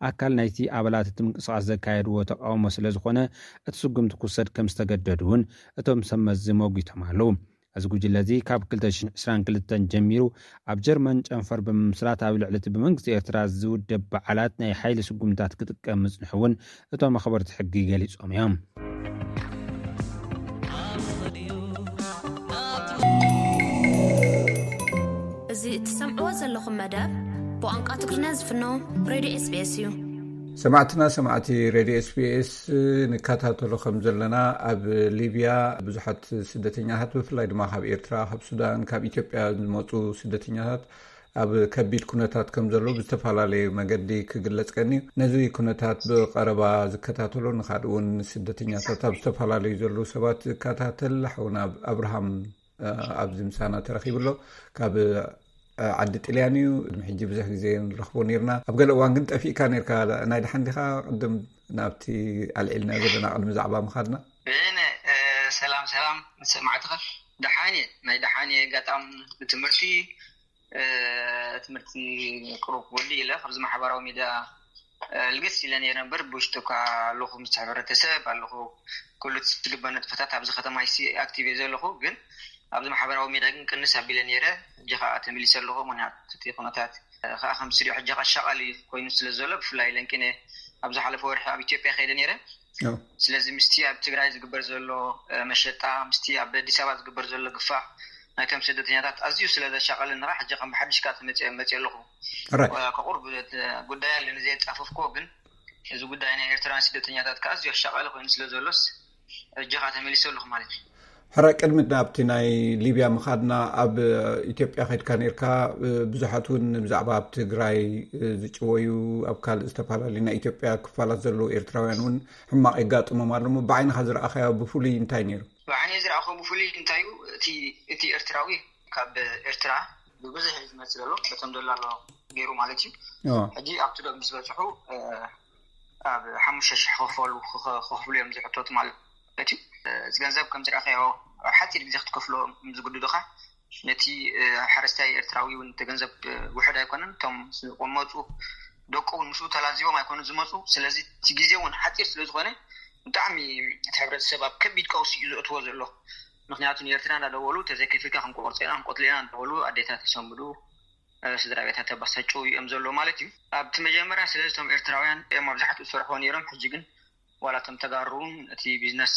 ኣካል ናይቲ ኣባላት እቲ ምንቅስቓስ ዘካየድዎ ተቃውሞ ስለ ዝኾነ፣ እቲ ስጉምቲ ክውሰድ ከም ዝተገደዱ እውን እቶም ሰብ መዚ መጒቶም ኣለዉ። እዚ ጉጅለ እዚ ካብ ክልተ ሽሕን ዕስራን ክልተን ጀሚሩ ኣብ ጀርመን ጨንፈር ብምምስራት ኣብ ልዕሊ እቲ ብመንግስቲ ኤርትራ ዝውደብ በዓላት ናይ ሓይሊ ስጉምታት ክጥቀም ምጽንሑ እውን እቶም ኣኽበርቲ ሕጊ ገሊጾም እዮም። እዚ እትሰምዕዎ ዘለኹም መደብ ብቋንቋ ትግርኛ ዝፍኖ ሬድዮ ኤስቢኤስ እዩ። ሰማዕትና ሰማዕቲ ሬድዮ ኤስቢኤስ፣ ንከታተሎ ከም ዘለና፣ ኣብ ሊብያ ብዙሓት ስደተኛታት፣ ብፍላይ ድማ ካብ ኤርትራ፣ ካብ ሱዳን፣ ካብ ኢትዮጵያ ዝመፁ ስደተኛታት ኣብ ከቢድ ኩነታት ከም ዘለዉ ብዝተፈላለዩ መገዲ ክግለጽ ቀንዩ። ነዚ ኩነታት ብቐረባ ዝከታተሎ ንኻልእ እውን ስደተኛታት ኣብ ዝተፈላለዩ ዘለዉ ሰባት ዝከታተል ሓውና ኣብርሃም ኣብዚ ምሳና ተረኺቡ ኣሎ። ካብ ዓዲ ጥልያን እዩ። ቅድሚ ሕጂ ብዙሕ ግዜ ንረኽቦ ነርና። ኣብ ገለ እዋን ግን ጠፊእካ ነርካ። ናይ ደሓን ዲኻ? ቅድም ናብቲ ኣልዒልና ዘለና ቅድሚ ዛዕባ ምኻድና። ብነ ሰላም ሰላም ሰማዕትኻ። ደሓን እየ። ናይ ደሓን እየ። ኣጋጣሚ ብትምህርቲ ትምህርቲ ቅሩብ ወዲ ኢለ ካብዚ ማሕበራዊ ሚድያ ልግስ ኢለ ነይረ እምበር ብውሽጡ እኳ ኣለኹ ምስ ሕብረተሰብ ኣለኹ። ኩሉ ዝግበር ንጥፈታት ኣብዚ ከተማ ሲ ኣክቲቭ እየ ዘለኹ። ግን ኣብዚ ማሕበራዊ ሚድያ ግን ቅንስ ኣቢለ ነይረ። ሕጂ ከዓ ተመሊሰ ኣለኹ። ምክንያቱ እቲ ኩነታት ከዓ ከም ስሪኦ ሕጂ ከዓ ሻቐሊ ኮይኑ ስለ ዘሎ ብፍላይ ለንቂነ ኣብ ዝሓለፈ ወርሒ ኣብ ኢትዮጵያ ከይደ ነይረ። ስለዚ ምስቲ ኣብ ትግራይ ዝግበር ዘሎ መሸጣ ምስቲ ኣብ ኣዲስ ኣበባ ዝግበር ዘሎ ግፋ ናይቶም ስደተኛታት ኣዝዩ ስለ ዘሻቐለኒ ከዓ ሕጂ ከም ብሓድሽ ከዓ ተመፅአ መፅእ ኣለኹ። ከቁርብ ጉዳይ ኣለኒ ዘየፃፈፍኮ ግን እዚ ጉዳይ ናይ ኤርትራውያን ስደተኛታት ከዓ ኣዝዩ ኣሻቐሊ ኮይኑ ስለ ዘሎስ ሕጂ ከዓ ተመሊሰ ኣለኹ ማለት እዩ። ሕረ ቅድሚ ናብቲ ናይ ሊብያ ምኻድና ኣብ ኢትዮጵያ ከድካ ነርካ። ብዙሓት እውን ብዛዕባ ኣብ ትግራይ ዝጭወዩ ኣብ ካልእ ዝተፈላለዩ ናይ ኢትዮጵያ ክፋላት ዘለዉ ኤርትራውያን እውን ሕማቕ የጋጥሞም ኣሎ። ብዓይንኻ ዝረኣኻዮ ብፍሉይ እንታይ ነይሩ? ብዓይነይ ዝረኣኹ ብፍሉይ እንታይ እዩ እቲ ኤርትራዊ ካብ ኤርትራ ብብዝሒ ዝመፅእ ዘሎ በቶም ደላሎ ገይሩ ማለት እዩ። ሕጂ ኣብቲ ዶብ ምስ በፅሑ ኣብ ሓሙሽተ ሽሕ ክኸፈሉ ክኸፍሉ እዮም ዝሕተቱ ማለት እዩ። እዚ ገንዘብ ከም ዝረኣኻዮ ኣብ ሓፂር ግዜ ክትከፍሎ ዝግድዱኻ። ነቲ ሓረስታይ ኤርትራዊ እውን እቲ ገንዘብ ውሕድ ኣይኮነን። እቶም ዝቆመፁ ደቁ እውን ምስኡ ተላዚቦም ኣይኮኑ ዝመፁ። ስለዚ እቲ ግዜ እውን ሓፂር ስለ ዝኾነ ብጣዕሚ እቲ ሕብረተሰብ ኣብ ከቢድ ቀውሲ እዩ ዘእትዎ ዘሎ። ምክንያቱ ንኤርትራ እንዳደወሉ ተዘይከፊልካ ክንቆርፀ ኢና ክንቆትሎ ኢና እንዳበሉ ኣዴታት ይሰንብዱ፣ ስድራ ቤታት ተባሳጭው እዮም ዘሎ ማለት እዩ። ኣብቲ መጀመርያ ስለዚ እቶም ኤርትራውያን እዮም ኣብዛሕትኡ ዝሰርሕዎ ነይሮም። ሕጂ ግን ዋላ እቶም ተጋሩ እውን እቲ ቢዝነስ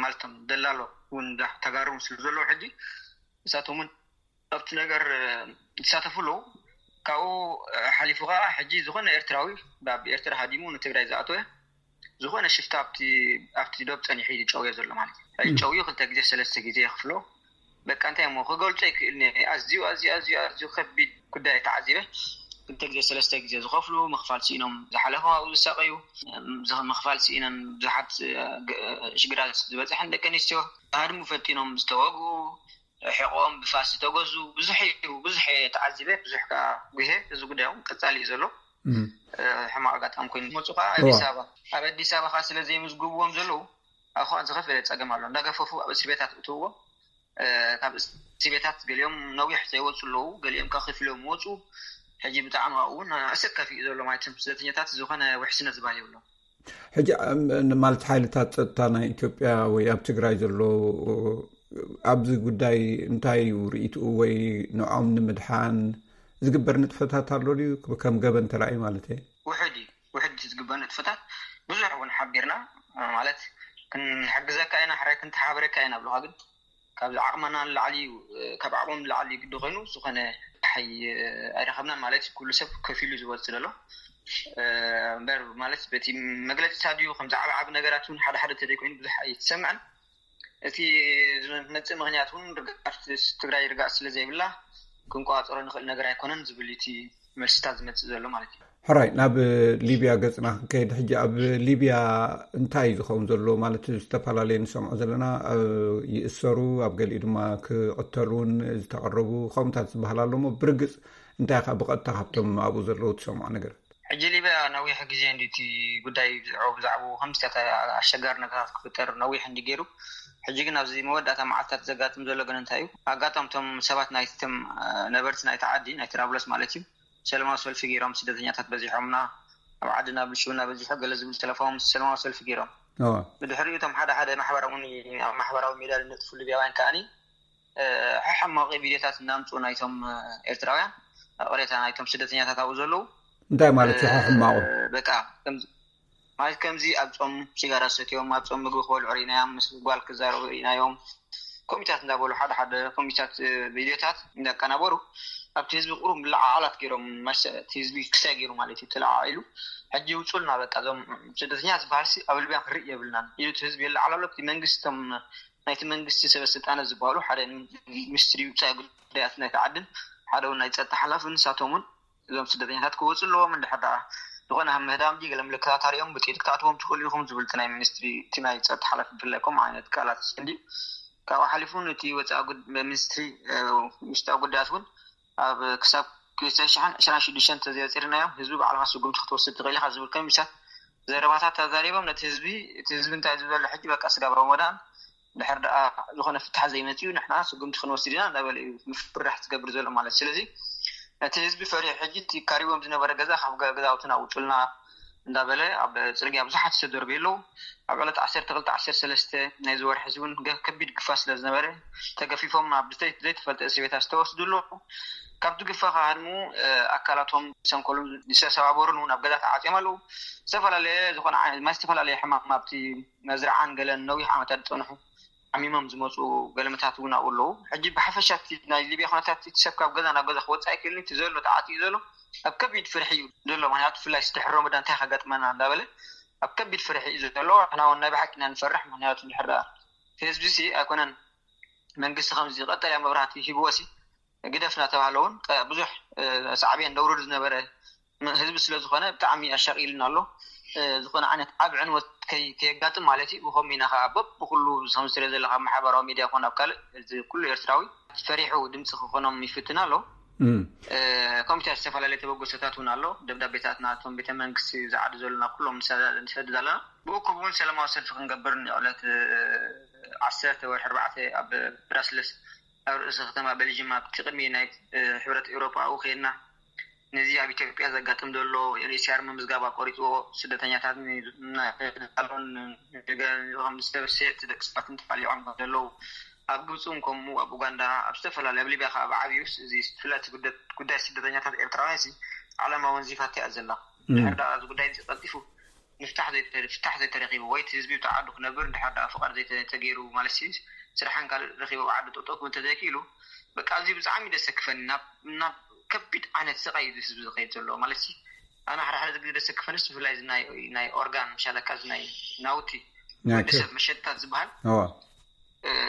ማለት እቶም ደላሎ እውን ተጋሩ ስለ ዘለዉ ሕጂ እሳቶም እውን ኣብቲ ነገር ይሳተፉ ኣለዉ። ካብኡ ሓሊፉ ከዓ ሕጂ ዝኾነ ኤርትራዊ ኣብ ኤርትራ ሃዲሙ ንትግራይ ዝኣተወ ዝኾነ ሽፍታ ኣብቲ ኣብቲ ዶብ ጸኒሑ እዩ ዝጨውዮ ዘሎ ማለት እዩ። ሕጂ ጨውዩ ክልተ ግዜ ሰለስተ ግዜ የኽፍሎ። በቃ እንታይ እሞ ክገልጾ ይክእል ነ ኣዝዩ ኣዝዩ ኣዝዩ ኣዝዩ ከቢድ ጉዳይ ተዓዚበ። ክልተ ግዜ ሰለስተ ግዜ ዝኸፍሉ ምኽፋል ስኢኖም ዝሓለፉ ኣብኡ ዝሳቀዩ ምኽፋል ስኢኖም ብዙሓት ሽግራት ዝበፅሐን ደቂ ኣንስትዮ ሃድሙ ፈቲኖም ዝተወግኡ ሕቆኦም ብፋስ ዝተገዙ ብዙሕ እዩ ብዙሕ እየ ተዓዚበ ብዙሕ ከዓ ጉሄ እዚ ጉዳይ እውን ቀፃሊ እዩ ዘሎ። ሕማቅ ኣጋጣሚ ኮይኑ ዝመፁ ከዓ ኣዲስ ኣበባ ኣብ ኣዲስ ኣበባ ከዓ ስለ ዘይምዝግብዎም ዘለዉ ኣብ ከዓ ዝኸፈለ ፀገም ኣሎ እንዳገፈፉ ኣብ እስር ቤታት እትውዎም ካብ እስር ቤታት ገሊኦም ነዊሕ ዘይወፁ ኣለዉ ገሊኦም ከዓ ከፊሎም ወፁ። ሕጂ ብጣዕሚ ኣብኡ እውን ኣሰካፊ እዩ ዘሎ ማለት ስደተኛታት ዝኾነ ውሕስነት ዝባል የብሎም። ሕጂ ማለት ሓይልታት ፀጥታ ናይ ኢትዮጵያ ወይ ኣብ ትግራይ ዘሎ ኣብዚ ጉዳይ እንታይ እዩ ርእይትኡ? ወይ ንዖም ንምድሓን ዝግበር ንጥፈታት ኣሎ ድዩ? ከም ገበን ተራእዩ ማለት እየ። ውሕድ እዩ፣ ውሕድ ዝግበር ንጥፈታት ብዙሕ እውን ሓቢርና ማለት ክንሕግዘካ ኢና፣ ሕራይ ክንተሓባበረካ ኢና ብለካ፣ ግን ካብዚ ዓቕምና ንላዕሊ እዩ፣ ካብ ዓቕሞም ንላዕሊ ግዲ ኮይኑ ዝኾነ ሓይ ኣይረኸብናን ማለት እዩ። ኩሉ ሰብ ከፊሉ ዝወፅእ ዘሎ እምበር ማለት በቲ መግለፂታት ድዩ ከም ዓብዓቢ ነገራት እውን ሓደ ሓደ ተዘይኮይኑ ብዙሕ ኣይትሰምዕን። እቲ ዝመፅእ ምክንያት እውን ርግኣት ትግራይ ርግኣት ስለ ዘይብላ ክንቆፃፀሮ ንኽእል ነገር ኣይኮነን ዝብል እቲ መልስታት ዝመፅእ ዘሎ ማለት እዩ። ሕራይ ናብ ሊብያ ገፅና ክንከይድ ሕጂ ኣብ ሊብያ እንታይ እዩ ዝኸውን ዘሎ ማለት ዝተፈላለዩ ንሰምዖ ዘለና ይእሰሩ ኣብ ገሊኡ ድማ ክቐተሉ እውን ዝተቐረቡ ከምኡታት ዝበሃል ኣሎ እሞ ብርግፅ እንታይ ከዓ ብቐጥታ ካብቶም ኣብኡ ዘለዉ ትሰምዖ ነገር? ሕጂ ሊብያ ነዊሕ ግዜ እንዲ እቲ ጉዳይ ብዝዕቡ ብዛዕቡ ከምዚታት ኣሸጋሪ ነገራት ክፍጠር ነዊሕ እንዲ ገይሩ ሕጂ ግን ኣብዚ መወዳእታ መዓልታት ዘጋጥም ዘሎ ግን እንታይ እዩ ኣጋጣምቶም ሰባት ናይቶም ነበርቲ ናይቲ ዓዲ ናይ ትራብለስ ማለት እዩ ሰለማዊ ሰልፊ ገይሮም ስደተኛታት በዚሖምና ኣብ ዓድና ብልሽውና በዚሑ ገለ ዝብል ሰለፋዎም ሰለማዊ ሰልፊ ገይሮም ብድሕሪኡ እቶም ሓደ ሓደ ማሕበራዊ ኣብ ማሕበራዊ ሚድያ ዝነጥፉ ሊብያውያን ከዓኒ ሕማቂ ቪድዮታት እናምፅኡ ናይቶም ኤርትራውያን ቅሬታ ናይቶም ስደተኛታት ኣብኡ ዘለዉ እንታይ ማለት እዩ ሕማቁ በቃ ማለት ከምዚ ኣብ ፆም ሲጋራ ሰትዮም ኣብ ፆም ምግቢ ክበልዑ ርኢናዮም ምስ ጓል ክዛረቡ ርኢናዮም ኮሚታት እንዳበሉ ሓደ ሓደ ኮሚታት ቪድዮታት እንዳቀናበሩ ኣብቲ ህዝቢ ቁሩብ ምልዓዓላት ገይሮም እቲ ህዝቢ ክሳይ ገይሩ ማለት እዩ ተለዓዒሉ ሕጂ ይውፁልና በቃ እዞም ስደተኛ ዝበሃል ኣብ ልብያ ክርኢ የብልናን ኢሉ እቲ ህዝቢ የለዓላሎ እቲ መንግስቲ ናይቲ መንግስቲ ሰበ ስልጣነ ዝበሃሉ ሓደ ሚኒስትሪ ውፃኢ ጉዳያት ናይቲ ዓድን ሓደ እውን ናይ ፀጥታ ሓላፊ ንሳቶም እውን እዞም ስደተኛታት ክወፁ ኣለዎም እንድሕር ደኣ ዝኾነ ምህዳም ድዩ ገለ ምልክታት ኣሪኦም ብጥይት ክትኣትዎም ትኽእሉ ኢኹም ዝብል እቲ ናይ ሚኒስትሪ እቲ ናይ ፀጥታ ሓላፊ ብፍላይ ከምኡ ዓይነት ቃላት እንድዩ ካብኡ ሓሊፉ እውን እቲ ወፃኢ ሚኒስትሪ ውሽጣዊ ጉዳያት እውን ኣብ ክሳብ ክልተ ሽሕን ዕስራን ሽዱሽተን ተዘይወፂርናዮም ህዝቢ ባዕልኻ ስጉምቲ ክትወስድ ትኽእል ኢኻ ዝብል ከሚሳት ዘረባታት ተዛሪቦም ነቲ ህዝቢ እቲ ህዝቢ እንታይ ዝብል ዘሎ ሕጂ በቃ ስጋብ ረመዳን ድሕር ደኣ ዝኾነ ፍታሕ ዘይመፅኡ ንሕና ስጉምቲ ክንወስድ ኢና እንዳበለ እዩ ምፍርራሕ ዝገብር ዘሎ ማለት ስለዚ እቲ ህዝቢ ፈሪሑ ሕጂ እቲ ካሪቦም ዝነበረ ገዛ ካብ ገዛውትና ውፁልና እንዳበለ ኣብ ፅርግያ ብዙሓት ዝተደርበዩ ኣለዉ ኣብ ዕለት ዓሰርተ ክልተ ዓሰርተ ሰለስተ ናይዚ ወርሒ እውን ከቢድ ግፋ ስለ ዝነበረ ተገፊፎም ናብ ዘይተፈልጠ እስር ቤታት ዝተወስዱ ኣለዉ ካብቲ ግፋ ከሃድሙ ኣካላቶም ሰንኮሎም ዝተሰባበሩን እውን ኣብ ገዛ ተዓፅዮም ኣለዉ ዝተፈላለየ ዝኾነ ማይ ዝተፈላለየ ሕማም ኣብቲ መዝርዓን ገለን ነዊሕ ዓመታት ዝፀንሑ ዓሚሞም ዝመፁ ገለመታት እውን ኣብኡ ኣለዉ ሕጂ ብሓፈሻ ናይ ሊብያ ኩነታት እቲ ሰብ ካብ ገዛ ናብ ገዛ ክወፅእ ኣይክእልን እቲ ዘሎ ተዓፅዩ ዘሎ ኣብ ከቢድ ፍርሒ እዩ ዘሎ ምክንያቱ ብፍላይ ድሕሪ ረመዳን እንታይ ከጋጥመና እንዳበለ ኣብ ከቢድ ፍርሒ እዩ ዘሎ ንሕና እውን ናይ ብሓቂ ኢና ንፈርሕ ምክንያቱ ድሕር ደኣ ህዝቢ ሲ ኣይኮነን መንግስቲ ከምዚ ቀጠልያ መብራህቲ ሂብዎ ሲ ግደፍ እናተባሃለ እውን ብዙሕ ሳዕቤን ደውርድ ዝነበረ ህዝቢ ስለ ዝኾነ ብጣዕሚ ኣሻቒልና ኣሎ ዝኾነ ዓይነት ዓብ ዕንወት ከየጋጥም ማለት እዩ ብኸም ኢና ከዓ በብኩሉ ከምዝትሪኦ ዘለካ ማሕበራዊ ሚድያ ኮን ኣብ ካልእ ኩሉ ኤርትራዊ ፈሪሑ ድምፂ ክኾኖም ይፍትን ኣሎ ኮሚቴ ዝተፈላለዩ ተበገሶታት እውን ኣሎ ደብዳቤታት ናቶም ቤተ መንግስቲ ዝዓዱ ዘለና ኩሎም ንሰድድ ኣለና ብእኩብ እውን ሰላማዊ ሰልፊ ክንገብር ንዕለት ዓሰርተ ወርሒ ኣርባዕተ ኣብ ብራስለስ ኣብ ርእሲ ከተማ ቤልጅም ኣብቲ ቅድሚ ናይ ሕብረት ኤውሮጳ ኣብኡ ከይድና ነዚ ኣብ ኢትዮጵያ ዘጋጥም ዘሎ ዩኤንኤችሲኣር ምምዝጋብ ኣቆሪፅዎ ስደተኛታት ንዳሎን ንገንዘቦም ዝተበስየ እቲ ደቂ ሰባት እንተቃሊዖም ከም ዘለዉ ኣብ ግብፂ እውን ከምኡ ኣብ ኡጋንዳ ኣብ ዝተፈላለዩ ኣብ ሊብያ ከዓ ብዓብዩስ እዚ ፍለቲ ጉዳይ ስደተኛታት ኤርትራውያን ሲ ዓለማ ወንዚፋት እያ ዘላ ድሕር ዳ እዚ ጉዳይ እዚ ቀልጢፉ ምፍታሕ ዘይተ- ፍታሕ ዘይተረኪቡ ወይ እቲ ህዝቢ ብቲ ዓዱ ክነብር እንድሕር ደኣ ፍቃድ ዘይተገይሩ ማለት ሲ ስራሕን ካልእ ረኪቡ ኣብ ዓዱ ጠጠው ክብል እንተዘይክኢሉ በቃ ኣዝዩ ብጣዕሚ ደሰክፈኒ ናብ ናብ ከቢድ ዓይነት ስቃይ እዩ ህዝቢ ዝኸይድ ዘሎ ማለት ሲ ኣነ ሓደ ሓደ ግዜ ደሰክፈንስ ብፍላይ እዚ ናይ ናይ ኦርጋን ምሻለካ እዚ ናይ ናውቲ ናይ ወዲ ሰብ መሸጥታት ዝበሃል እዋ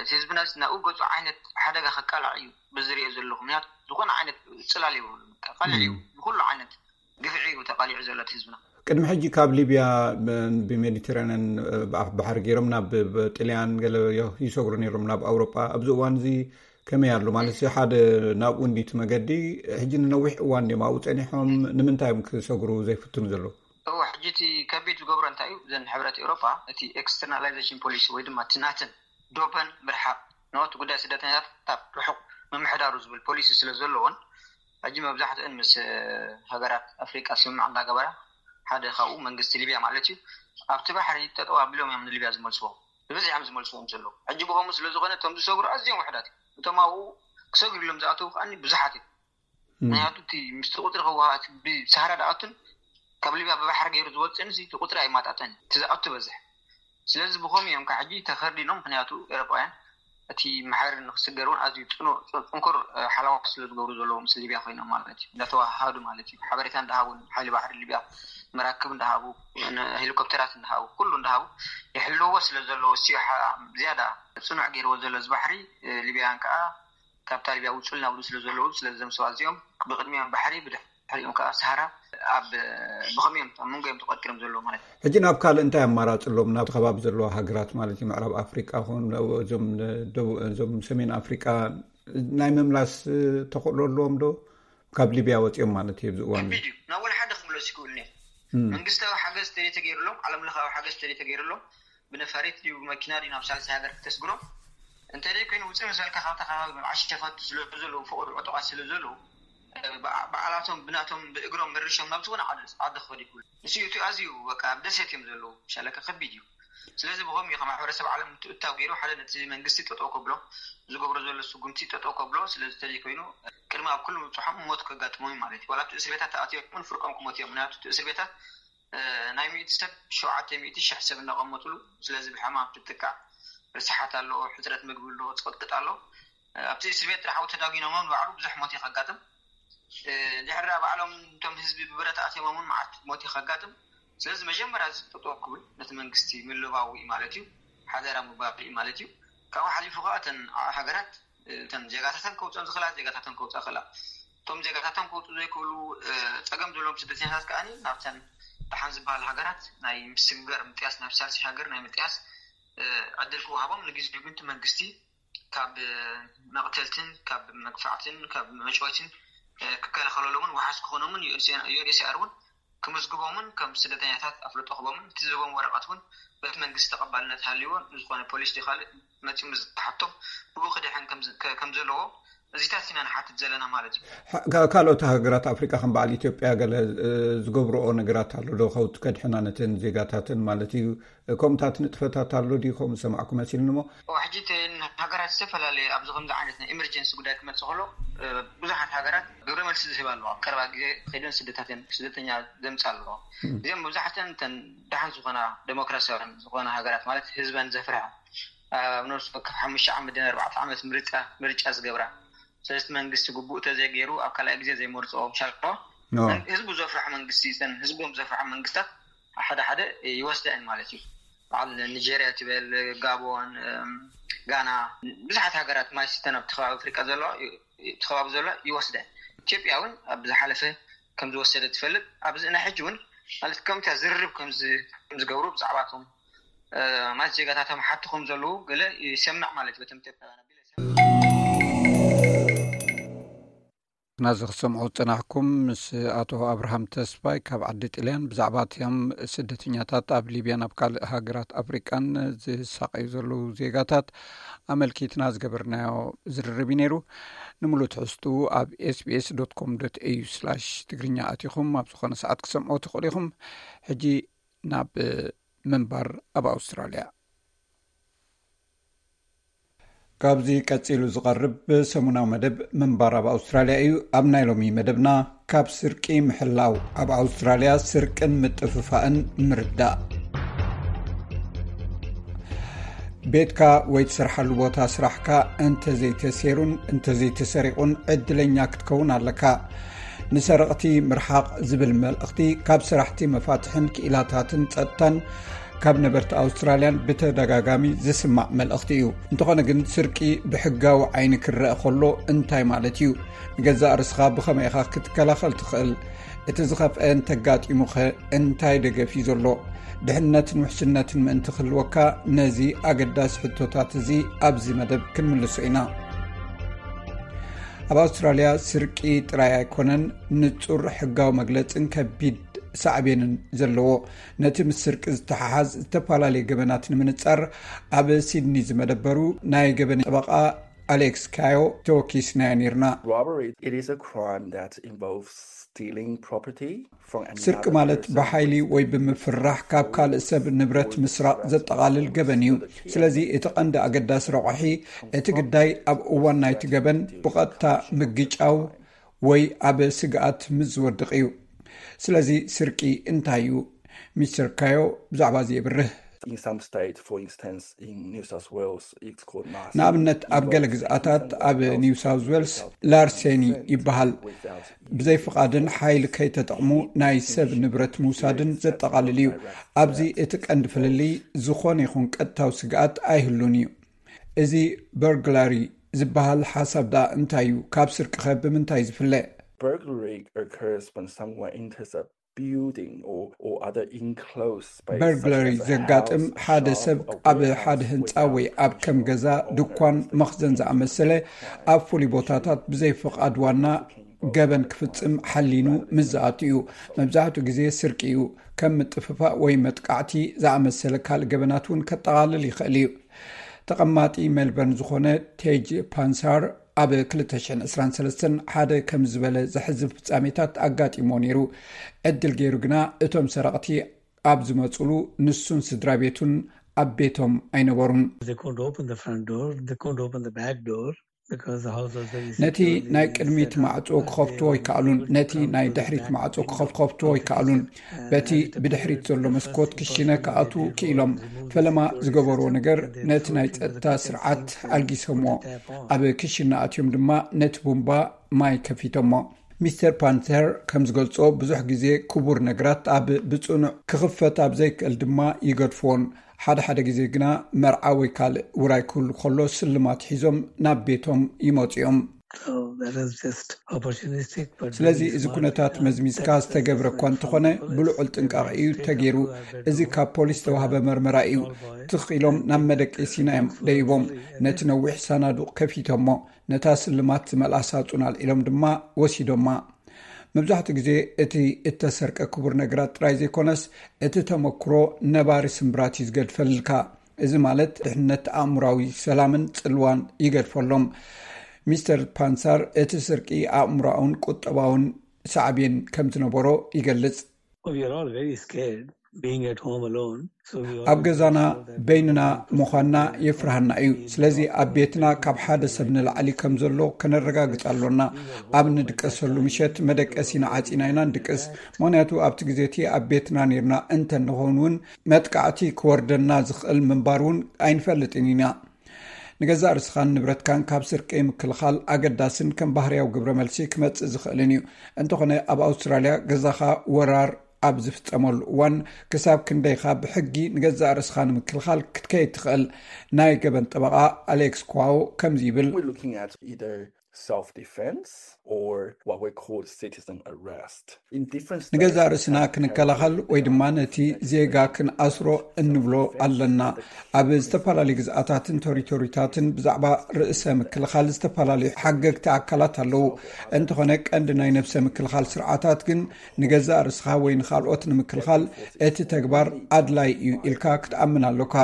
እቲ ህዝብና ሲ ናብኡ ገፁ ዓይነት ሓደጋ ከቃላዕ እዩ ብዝሪኦ ዘለኹ ምክንያቱ ዝኾነ ዓይነት ፅላል የብሉ ቀሊዕ እዩ ንኩሉ ዓይነት ግፍዒ እዩ ተቃሊዑ ዘሎ እቲ ህዝብና። ቅድሚ ሕጂ ካብ ሊብያ ብሜዲተራንያን ብኣፍ ባሕሪ ገይሮም ናብ ጥልያን ገለ ይሰግሩ ነይሮም ናብ ኣውሮጳ። ኣብዚ እዋን እዚ ከመይ ኣሎ ማለት ሓደ ናብኡ እንዲ እቲ መገዲ ሕጂ ንነዊሕ እዋን ድዮም ኣብኡ ጸኒሖም ንምንታይ እዮም ክሰግሩ ዘይፍትኑ ዘለዉ? እወ ሕጂ እቲ ከቢድ ዝገብሮ እንታይ እዩ እዘን ሕብረት ኤውሮጳ እቲ externalization policy ወይ ድማ እቲ ናተን ዶበን ምርሓቕ ነቲ ጉዳይ ስደተኛታት ካብ ርሑቕ ምምሕዳሩ ዝብል ፖሊሲ ስለ ዘለዎን ሕጂ መብዛሕትአን ምስ ሃገራት ኣፍሪቃ ስምምዕ እንዳገበራ ሓደ ካብኡ መንግስቲ ሊብያ ማለት እዩ። ኣብቲ ባሕሪ ጠጠው ኣቢሎም እዮም ንሊብያ ዝመልስዎም፣ ብብዝሒ እዮም ዝመልስዎም ዘለዉ። ሕጂ ብኸምኡ ስለ ዝኾነ እቶም ዝሰግሩ ኣዝዮም ውሕዳት እዮም። እቶም ኣብኡ ክሰግሩ ኢሎም ዝኣተዉ ከዓኒ ብዙሓት እዮም። ምክንያቱ እቲ ምስቲ ቁፅሪ ክወሃት ብሳህራ ድኣቱን ካብ ሊብያ ብባሕሪ ገይሩ ዝወፅእን እቲ ቁፅሪ ኣይማጣጠን፣ እቲ ዝኣቱ በዝሕ። ስለዚ ብኸምኡ እዮም ካብ ሕጂ ተኸርዲኖም። ምክንያቱ ኤሮጳውያን እቲ ማሕበር ንክስገር እውን ኣዝዩ ፅኑዕ፣ ፅንኩር ሓለዋ ስለ ዝገብሩ ዘለዉ ምስ ሊብያ ኮይኖም ማለት እዩ፣ እንዳተዋሃዱ ማለት እዩ። ሓበሬታ እንዳሃቡን ሓይሊ ባሕሪ ሊብያ መራክብ እንዳሃቡ፣ ሄሊኮፕተራት እንዳሃቡ፣ ኩሉ እንዳሃቡ ይሕልዎ ስለ ዘለዉ፣ እስዮ ዝያዳ ፅኑዕ ገይርዎ ዘሎ እዚ ባሕሪ። ሊብያውያን ከዓ ካብታ ሊብያ ውፁልና ብሉ ስለ ዘለዉ፣ ስለዚ እዞም ሰባት እዚኦም ብቅድሚኦም ባሕሪ፣ ብድሕሪኦም ከዓ ሰሃራ ኣብ ብኸመይ እዮም ኣብ መንጎ እዮም ተቆጢሮም ዘለዉ ማለት እዩ። ሕጂ ናብ ካልእ እንታይ ኣማራፂ ኣሎም? ናብ ከባቢ ዘለዋ ሃገራት ማለት እዩ፣ ምዕራብ ኣፍሪቃ ኹን እዞም ደቡ-፣ እዞም ሰሜን ኣፍሪቃ ናይ ምምላስ ተኽእሎ ኣለዎም ዶ? ካብ ሊብያ ወፂኦም ማለት እዩ ኣብዚ እዋን። ከቢድ እዩ። ናብ ወላ ሓደ ክምለሱ ይክእሉ እዮም። መንግስታዊ ሓገዝ ተደይ ተገይሩሎም፣ ዓለም ለኻዊ ሓገዝ ተደይ ተገይሩሎም፣ ብነፋሪት ድዩ ብመኪና ድዩ ናብ ሳልሳይ ሃገር ክተስግሮም? እንተደይ ኮይኑ ውፅእ ምስ በልካ ካብታ ከባቢ መብዓሽ ሸፈቱ ስለ ዘለዉ፣ ፍቕሪ ዕጡቓት ስለ ዘለዉ፣ በዓ-፣ በዓላቶም ብናቶም ብእግሮም መርሾም ናብ ዝኾነ ዓዲ፣ ዓዲ ክኸዱ ይኽእሉ። ንሱ እቲ ኣዝዩ በቃ ኣብ ደሴት እዮም ዘለዉ፣ ሻለካ ከቢድ እዩ። ስለዚ ብኸምኡ እዩ ማሕበረሰብ ዓለም ምትእትታው ገይሩ ሓደ ነቲ መንግስቲ ጠጠው ከብሎ፣ ዝገብሮ ዘሎ ስጉምቲ ጠጠው ከብሎ። ስለዚ ተደይ ኮይኑ ቅድሚ ኣብ ኩሉ ምብፅሖም ሞት ከጋጥሞም እዩ ማለት እዩ። ዋላ ኣብቲ እስር ቤታት ተኣትዮም እውን ፍርቆም ክሞት እዮም። ምክንያቱ እቲ እስር ቤታት ናይ ሚእቲ ሰብ ሸውዓተ ሚእቲ ሺሕ ሰብ እናቐመጥሉ፣ ስለዚ ብሕማም ትጥቃዕ፣ ርስሓት ኣሎ፣ ሕፅረት ምግቢ ኣሎ፣ ፅቕጥቅጥ ኣሎ። ኣብቲ እስር ቤት ጥራሕ ተዳጒኖም ንባዕሉ ብዙሕ ሞት እዩ ከጋጥም። ድሕሪ ባዕሎም እቶም ህዝቢ ብብረት ኣትዮሞም እውን መዓት ሞት እዩ ከጋጥም። ስለዚ መጀመርያ እዚ ጠጠው ክብል ነቲ መንግስቲ ምልባው እዩ ማለት እዩ፣ ሓደራ ምባል እዩ ማለት እዩ። ካብኡ ሓሊፉ ከዓ እተን ሃገራት እተን ዜጋታተን ከውፅኦም ዝኽእላ ዜጋታተን ከውፅኣ ክእላ። እቶም ዜጋታቶም ከውፅኡ ዘይክእሉ፣ እ፣ ፀገም ዘለዎም ስደተኛታት ከኣ ናብተን ደሓን ዝበሃል ሃገራት ናይ ምስግጋር ምጥያስ፣ ናብ ሳልሲ ሃገር ናይ ምጥያስ፣ እ፣ ዕድል ክወሃቦም፣ ንግዜኡ ግን እቲ መንግስቲ ካብ መቕተልትን ካብ መግፋዕትን ካብ መጭወይትን፣ እ፣ ክከላኸለሎምን ዋሓስ ክኾኖምን ዩ ኤን ኤች ሲ ኣር እውን ክምዝግቦምን ከም ስደተኛታት ኣፍልጦ ክቦምን እቲ ዝህቦም ወረቐት እውን በቲ መንግስቲ ተቐባልነት ሃልይዎ ንዝኾነ ፖሊስ ድዩ ካልእ መፂኡ ምስ ዝሓቶም ብኡ ክድሕን ከም ዝ-፣ ከ-፣ ከም ዘለዎ እዚታት ኢና ንሓትት ዘለና ማለት እዩ። ካ-፣ ካልኦት ሃገራት ኣፍሪቃ ከም በዓል ኢትዮጵያ ገለ፣ እ፣ ዝገብርኦ ነገራት ኣሎ ዶ? ከውት ከድሕና ነተን ዜጋታተን ማለት እዩ። ከምኡታት ንጥፈታት ኣሎ ድዩ? ከምኡ ዝሰማዕኩ መሲልኒ እሞ። እዎ፣ ሕጂ እተን ሃገራት ዝተፈላለየ ኣብዚ ከምዚ ዓይነት ናይ ኢመርጀንሲ ጉዳይ ክመጽእ ከሎ፣ እ፣ ብዙሓት ሃገራት ግብረ መልሲ ዝህባ ኣለዋ። ኣብ ቀረባ ግዜ ከይደን ስደታተን፣ ስደተኛ ዘምጽኣ ኣለዋ። እዚኦም መብዛሕተን እተን ደሓን ዝኾና ደሞክራሲያውያን ዝኾና ሃገራት ማለት ህዝበን ዘፍርሃ፣ ኣብ ነፍሲ ወከፍ ሓሙሽተ ዓመት ድን ኣርባዕተ ዓመት ምርጫ፣ ምርጫ ዝገብራ። ስለዚ መንግስቲ ግቡእ ተዘይገይሩ ኣብ ካልኣይ ግዜ ዘይመርፅኦ ሻልባ ኖ። ህዝቡ ዘፍርሖ መንግስቲ፣ እተን ህዝቦም ዘፍርሖ መንግስታት ሓደ ሓደ ይወስደን ማለት እዩ። በዓል ኒጀርያ ትበል፣ ጋቦን፣ እም፣ ጋና፣ ብዙሓት ሃገራት ማይ ሲስተን ኣብቲ ከባቢ ኣፍሪቃ ዘለዋ፣ እቲ ከባቢ ዘለዋ ይወስደን። ኢትዮጵያ እውን ኣብ ዝሓለፈ ከም ዝወሰደ ትፈልጥ። ኣብዚ ናይ ሕጂ እውን ማለት ከምታ ዝርርብ ከም ዝ-፣ ከም ዝገብሩ ብዛዕባቶም፣ እ፣ ማለት ዜጋታቶም ሓቱ ከም ዘለዉ ገለ ይሰምዕ ማለት እዩ። በቶም ኢትዮጵያውያን ኣቢለ ይሰምዕ። ናዚ ክሰምዑ ዝጸናሕኩም ምስ ኣቶ ኣብርሃም ተስፋይ ካብ ዓዲ ጥልያን ብዛዕባ እቶም ስደተኛታት ኣብ ሊብያን ኣብ ካልእ ሃገራት ኣፍሪቃን ዝሳቐዩ ዘለዉ ዜጋታት ኣመልኪትና ዝገበርናዮ ዝርርብ እዩ ነይሩ። ንምሉእ ትሕዝትኡ ኣብ ኤስ ቢ ኤስ ዶት ኮም ዶት ኤ ዩ ስላሽ ትግርኛ ኣቲኹም ኣብ ዝኾነ ሰዓት ክሰምዑ ትኽእሉ ኢኹም። ሕጂ ናብ ምንባር ኣብ ኣውስትራልያ። ካብዚ ቀጺሉ ዝቐርብ ሰሙናዊ መደብ ምንባር ኣብ ኣውስትራልያ እዩ። ኣብ ናይ ሎሚ መደብና፣ ካብ ስርቂ ምሕላው፣ ኣብ ኣውስትራልያ ስርቅን ምጥፍፋእን ምርዳእ። ቤትካ ወይ ትሰርሓሉ ቦታ ስራሕካ እንተዘይተሴሩን እንተዘይተሰሪቑን ዕድለኛ ክትከውን ኣለካ። ንሰረቕቲ ምርሓቕ ዝብል መልእኽቲ ካብ ሰራሕቲ መፋትሕን ክኢላታትን ጸጥታን ካብ ነበርቲ ኣውስትራልያን ብተደጋጋሚ ዝስማዕ መልእኽቲ እዩ። እንተኾነ ግን ስርቂ ብሕጋዊ ዓይኒ ክረአ ከሎ እንታይ ማለት እዩ? ንገዛእ ርእስኻ ብኸመይ ኢኻ ክትከላኸል ትኽእል? እቲ ዝኸፍአ እንተጋጢሙኸ እንታይ ደገፍ እዩ ዘሎ? ድሕነትን ውሕስነትን ምእንቲ ክህልወካ ነዚ ኣገዳሲ ሕቶታት እዚ ኣብዚ መደብ ክንምልሶ ኢና። ኣብ ኣውስትራልያ ስርቂ ጥራይ ኣይኮነን ንጹር ሕጋዊ መግለጽን ከቢድ ሳዕቤንን ዘለዎ። ነቲ ምስ ስርቂ ዝተሓሓዝ ዝተፈላለየ ገበናት ንምንጻር ኣብ ሲድኒ ዝመደበሩ ናይ ገበን ጠበቓ ኣሌክስ ካዮ ተወኪስናዮ ነርና። Robbery, it is a crime that involves stealing property from another ስርቂ ማለት person. ብሓይሊ ወይ ብምፍራሕ ካብ ካልእ ሰብ ንብረት ምስራቕ ዘጠቓልል ገበን እዩ። ስለዚ እቲ ቀንዲ ኣገዳሲ ረቑሒ እቲ ግዳይ ኣብ እዋን ናይቲ ገበን ብቐጥታ ምግጫው ወይ ኣብ ስግኣት ምስ ዝወድቕ እዩ። ስለዚ ስርቂ እንታይ እዩ? ሚስተር ካዮ ብዛዕባ እዚ የብርህ። In some states, for instance, in New South Wales, it's called mass ንኣብነት ኣብ ገለ ግዝኣታት ኣብ ኒው ሳውዝ ዌልስ ላርሴኒ ይበሃል። ብዘይ ፍቓድን ሓይሊ ከይተጠቕሙ ናይ ሰብ ንብረት ምውሳድን ዘጠቓልል እዩ። ኣብዚ እቲ ቀንዲ ፍልልይ ዝኾነ ይኹን ቀጥታዊ ስግኣት ኣይህሉን እዩ። እዚ በርግላሪ ዝበሃል ሓሳብ ደኣ እንታይ እዩ? ካብ ስርቂ ኸ ብምንታይ ዝፍለ? Burglary occurs when someone enters a building or, or other enclosed space. በርግለሪ ዘጋጥም ሓደ ሰብ ኣብ ሓደ ህንፃ ወይ ኣብ ከም ገዛ፣ ድኳን፣ መኽዘን ዝኣመሰለ ኣብ ፍሉይ ቦታታት ብዘይ ፍቓድ ዋና ገበን ክፍፅም ሓሊኑ ምስ ዝኣቱ እዩ። መብዛሕትኡ ግዜ ስርቂ እዩ። ከም ምጥፍፋእ ወይ መጥቃዕቲ ዝኣመሰለ ካልእ ገበናት እውን ከጠቓልል ይኽእል እዩ። ተቐማጢ ሜልበርን ዝኾነ ቴጅ ፓንሳር ኣብ ክልተ ሽሕን ዕስራን ሰለስተን ሓደ ከም ዝበለ ዘሕዝን ፍጻሜታት ኣጋጢሞ ነይሩ። ዕድል ገይሩ ግና እቶም ሰረቕቲ ኣብ ዝመጹሉ ንሱን ስድራ ቤቱን ኣብ ቤቶም ኣይነበሩን። They couldn't open the front door, they couldn't open the back door because the house was very ነቲ ናይ ቅድሚት ማዕጾ ክኸፍትዎ ኣይከኣሉን። ነቲ ናይ ድሕሪት ማዕጾ ክኸፍትዎ ኣይከኣሉን። በቲ ብድሕሪት ዘሎ መስኮት ክሽነ ክኣትዉ ክኢሎም። ፈለማ ዝገበርዎ ነገር ነቲ ናይ ጸጥታ ስርዓት ኣልጊሶምዎ። ኣብ ክሽነ ኣትዮም ድማ ነቲ ቡምባ ማይ ከፊቶሞ። ሚስተር ፓንተር ከም ዝገልጾ ብዙሕ ግዜ ክቡር ነገራት ኣብ ብጽኑዕ ክኽፈት ኣብ ዘይክእል ድማ ይገድፍዎን። ሓደ ሓደ ግዜ ግና መርዓ ወይ ካልእ ውራይ ክህሉ ከሎ ስልማት ሒዞም ናብ ቤቶም ይመጹ እዮም። So that is just opportunistic. But ስለዚ very እዚ smart. ኩነታት መዝሚዝካ ዝተገብረ እኳ እንተኾነ ብልዑል ጥንቃቐ እዩ ተገይሩ። እዚ ካብ ፖሊስ ዝተዋህበ መርመራ እዩ። ትኽ ኢሎም ናብ መደቀሲና እዮም ደይቦም። ነቲ ነዊሕ ሳናዱቕ ከፊቶሞ ነታ ስልማት ዝመልኣ ሳጹን ኣልዒሎም ድማ ወሲዶማ። መብዛሕትኡ ግዜ እቲ እተሰርቀ ክቡር ነገራት ጥራይ ዘይኮነስ እቲ ተመክሮ ነባሪ ስምብራት እዩ ዝገድፈልካ። እዚ ማለት ድሕነት ኣእምራዊ ሰላምን ጽልዋን ይገድፈሎም። ሚስተር ፓንሳር እቲ ስርቂ ኣእምራውን ቁጠባውን ሳዕቤን ከም ዝነበሮ ይገልጽ። Oh, we are all very scared being at home alone. So we all ኣብ ገዛና በይንና ምዃንና የፍርሃና እዩ። ስለዚ ኣብ ቤትና ካብ ሓደ ሰብ ንላዕሊ ከም ዘሎ ከነረጋግጽ ኣሎና። ኣብ ንድቀሰሉ ምሸት መደቀሲና ዓጺና ኢና ንድቅስ። ምኽንያቱ ኣብቲ ግዜ እቲ ኣብ ቤትና ነርና እንተ ንኸውን እውን መጥቃዕቲ ክወርደና ዝኽእል ምንባር እውን ኣይንፈልጥን ኢና። ንገዛእ ርእስኻን ንብረትካን ካብ ስርቂ ምክልኻል ኣገዳስን ከም ባህርያዊ ግብረ መልሲ ክመጽእ ዝኽእልን እዩ። እንተኾነ ኣብ ኣውስትራልያ ገዛኻ ወራር ኣብ ዝፍጸመሉ እዋን ክሳብ ክንደይኻ ብሕጊ ንገዛእ ርእስኻ ንምክልኻል ክትከይድ ትኽእል? ናይ ገበን ጠበቓ ኣሌክስ ኳዎ ከምዚ ይብል። We're looking at either self-defense or what we call citizen arrest. In different states, ንገዛእ ርእስና ክንከላኸል ወይ ድማ ነቲ ዜጋ ክንኣስሮ እንብሎ ኣለና። ኣብ ዝተፈላለዩ ግዝኣታትን ቴሪቶሪታትን ብዛዕባ ርእሰ ምክልኻል ዝተፈላለዩ ሓገግቲ ኣካላት ኣለዉ። እንተኾነ ቀንዲ ናይ ነብሰ ምክልኻል ስርዓታት ግን ንገዛእ ርእስኻ ወይ ንኻልኦት ንምክልኻል እቲ ተግባር ኣድላይ እዩ ኢልካ ክትኣምን ኣሎካ።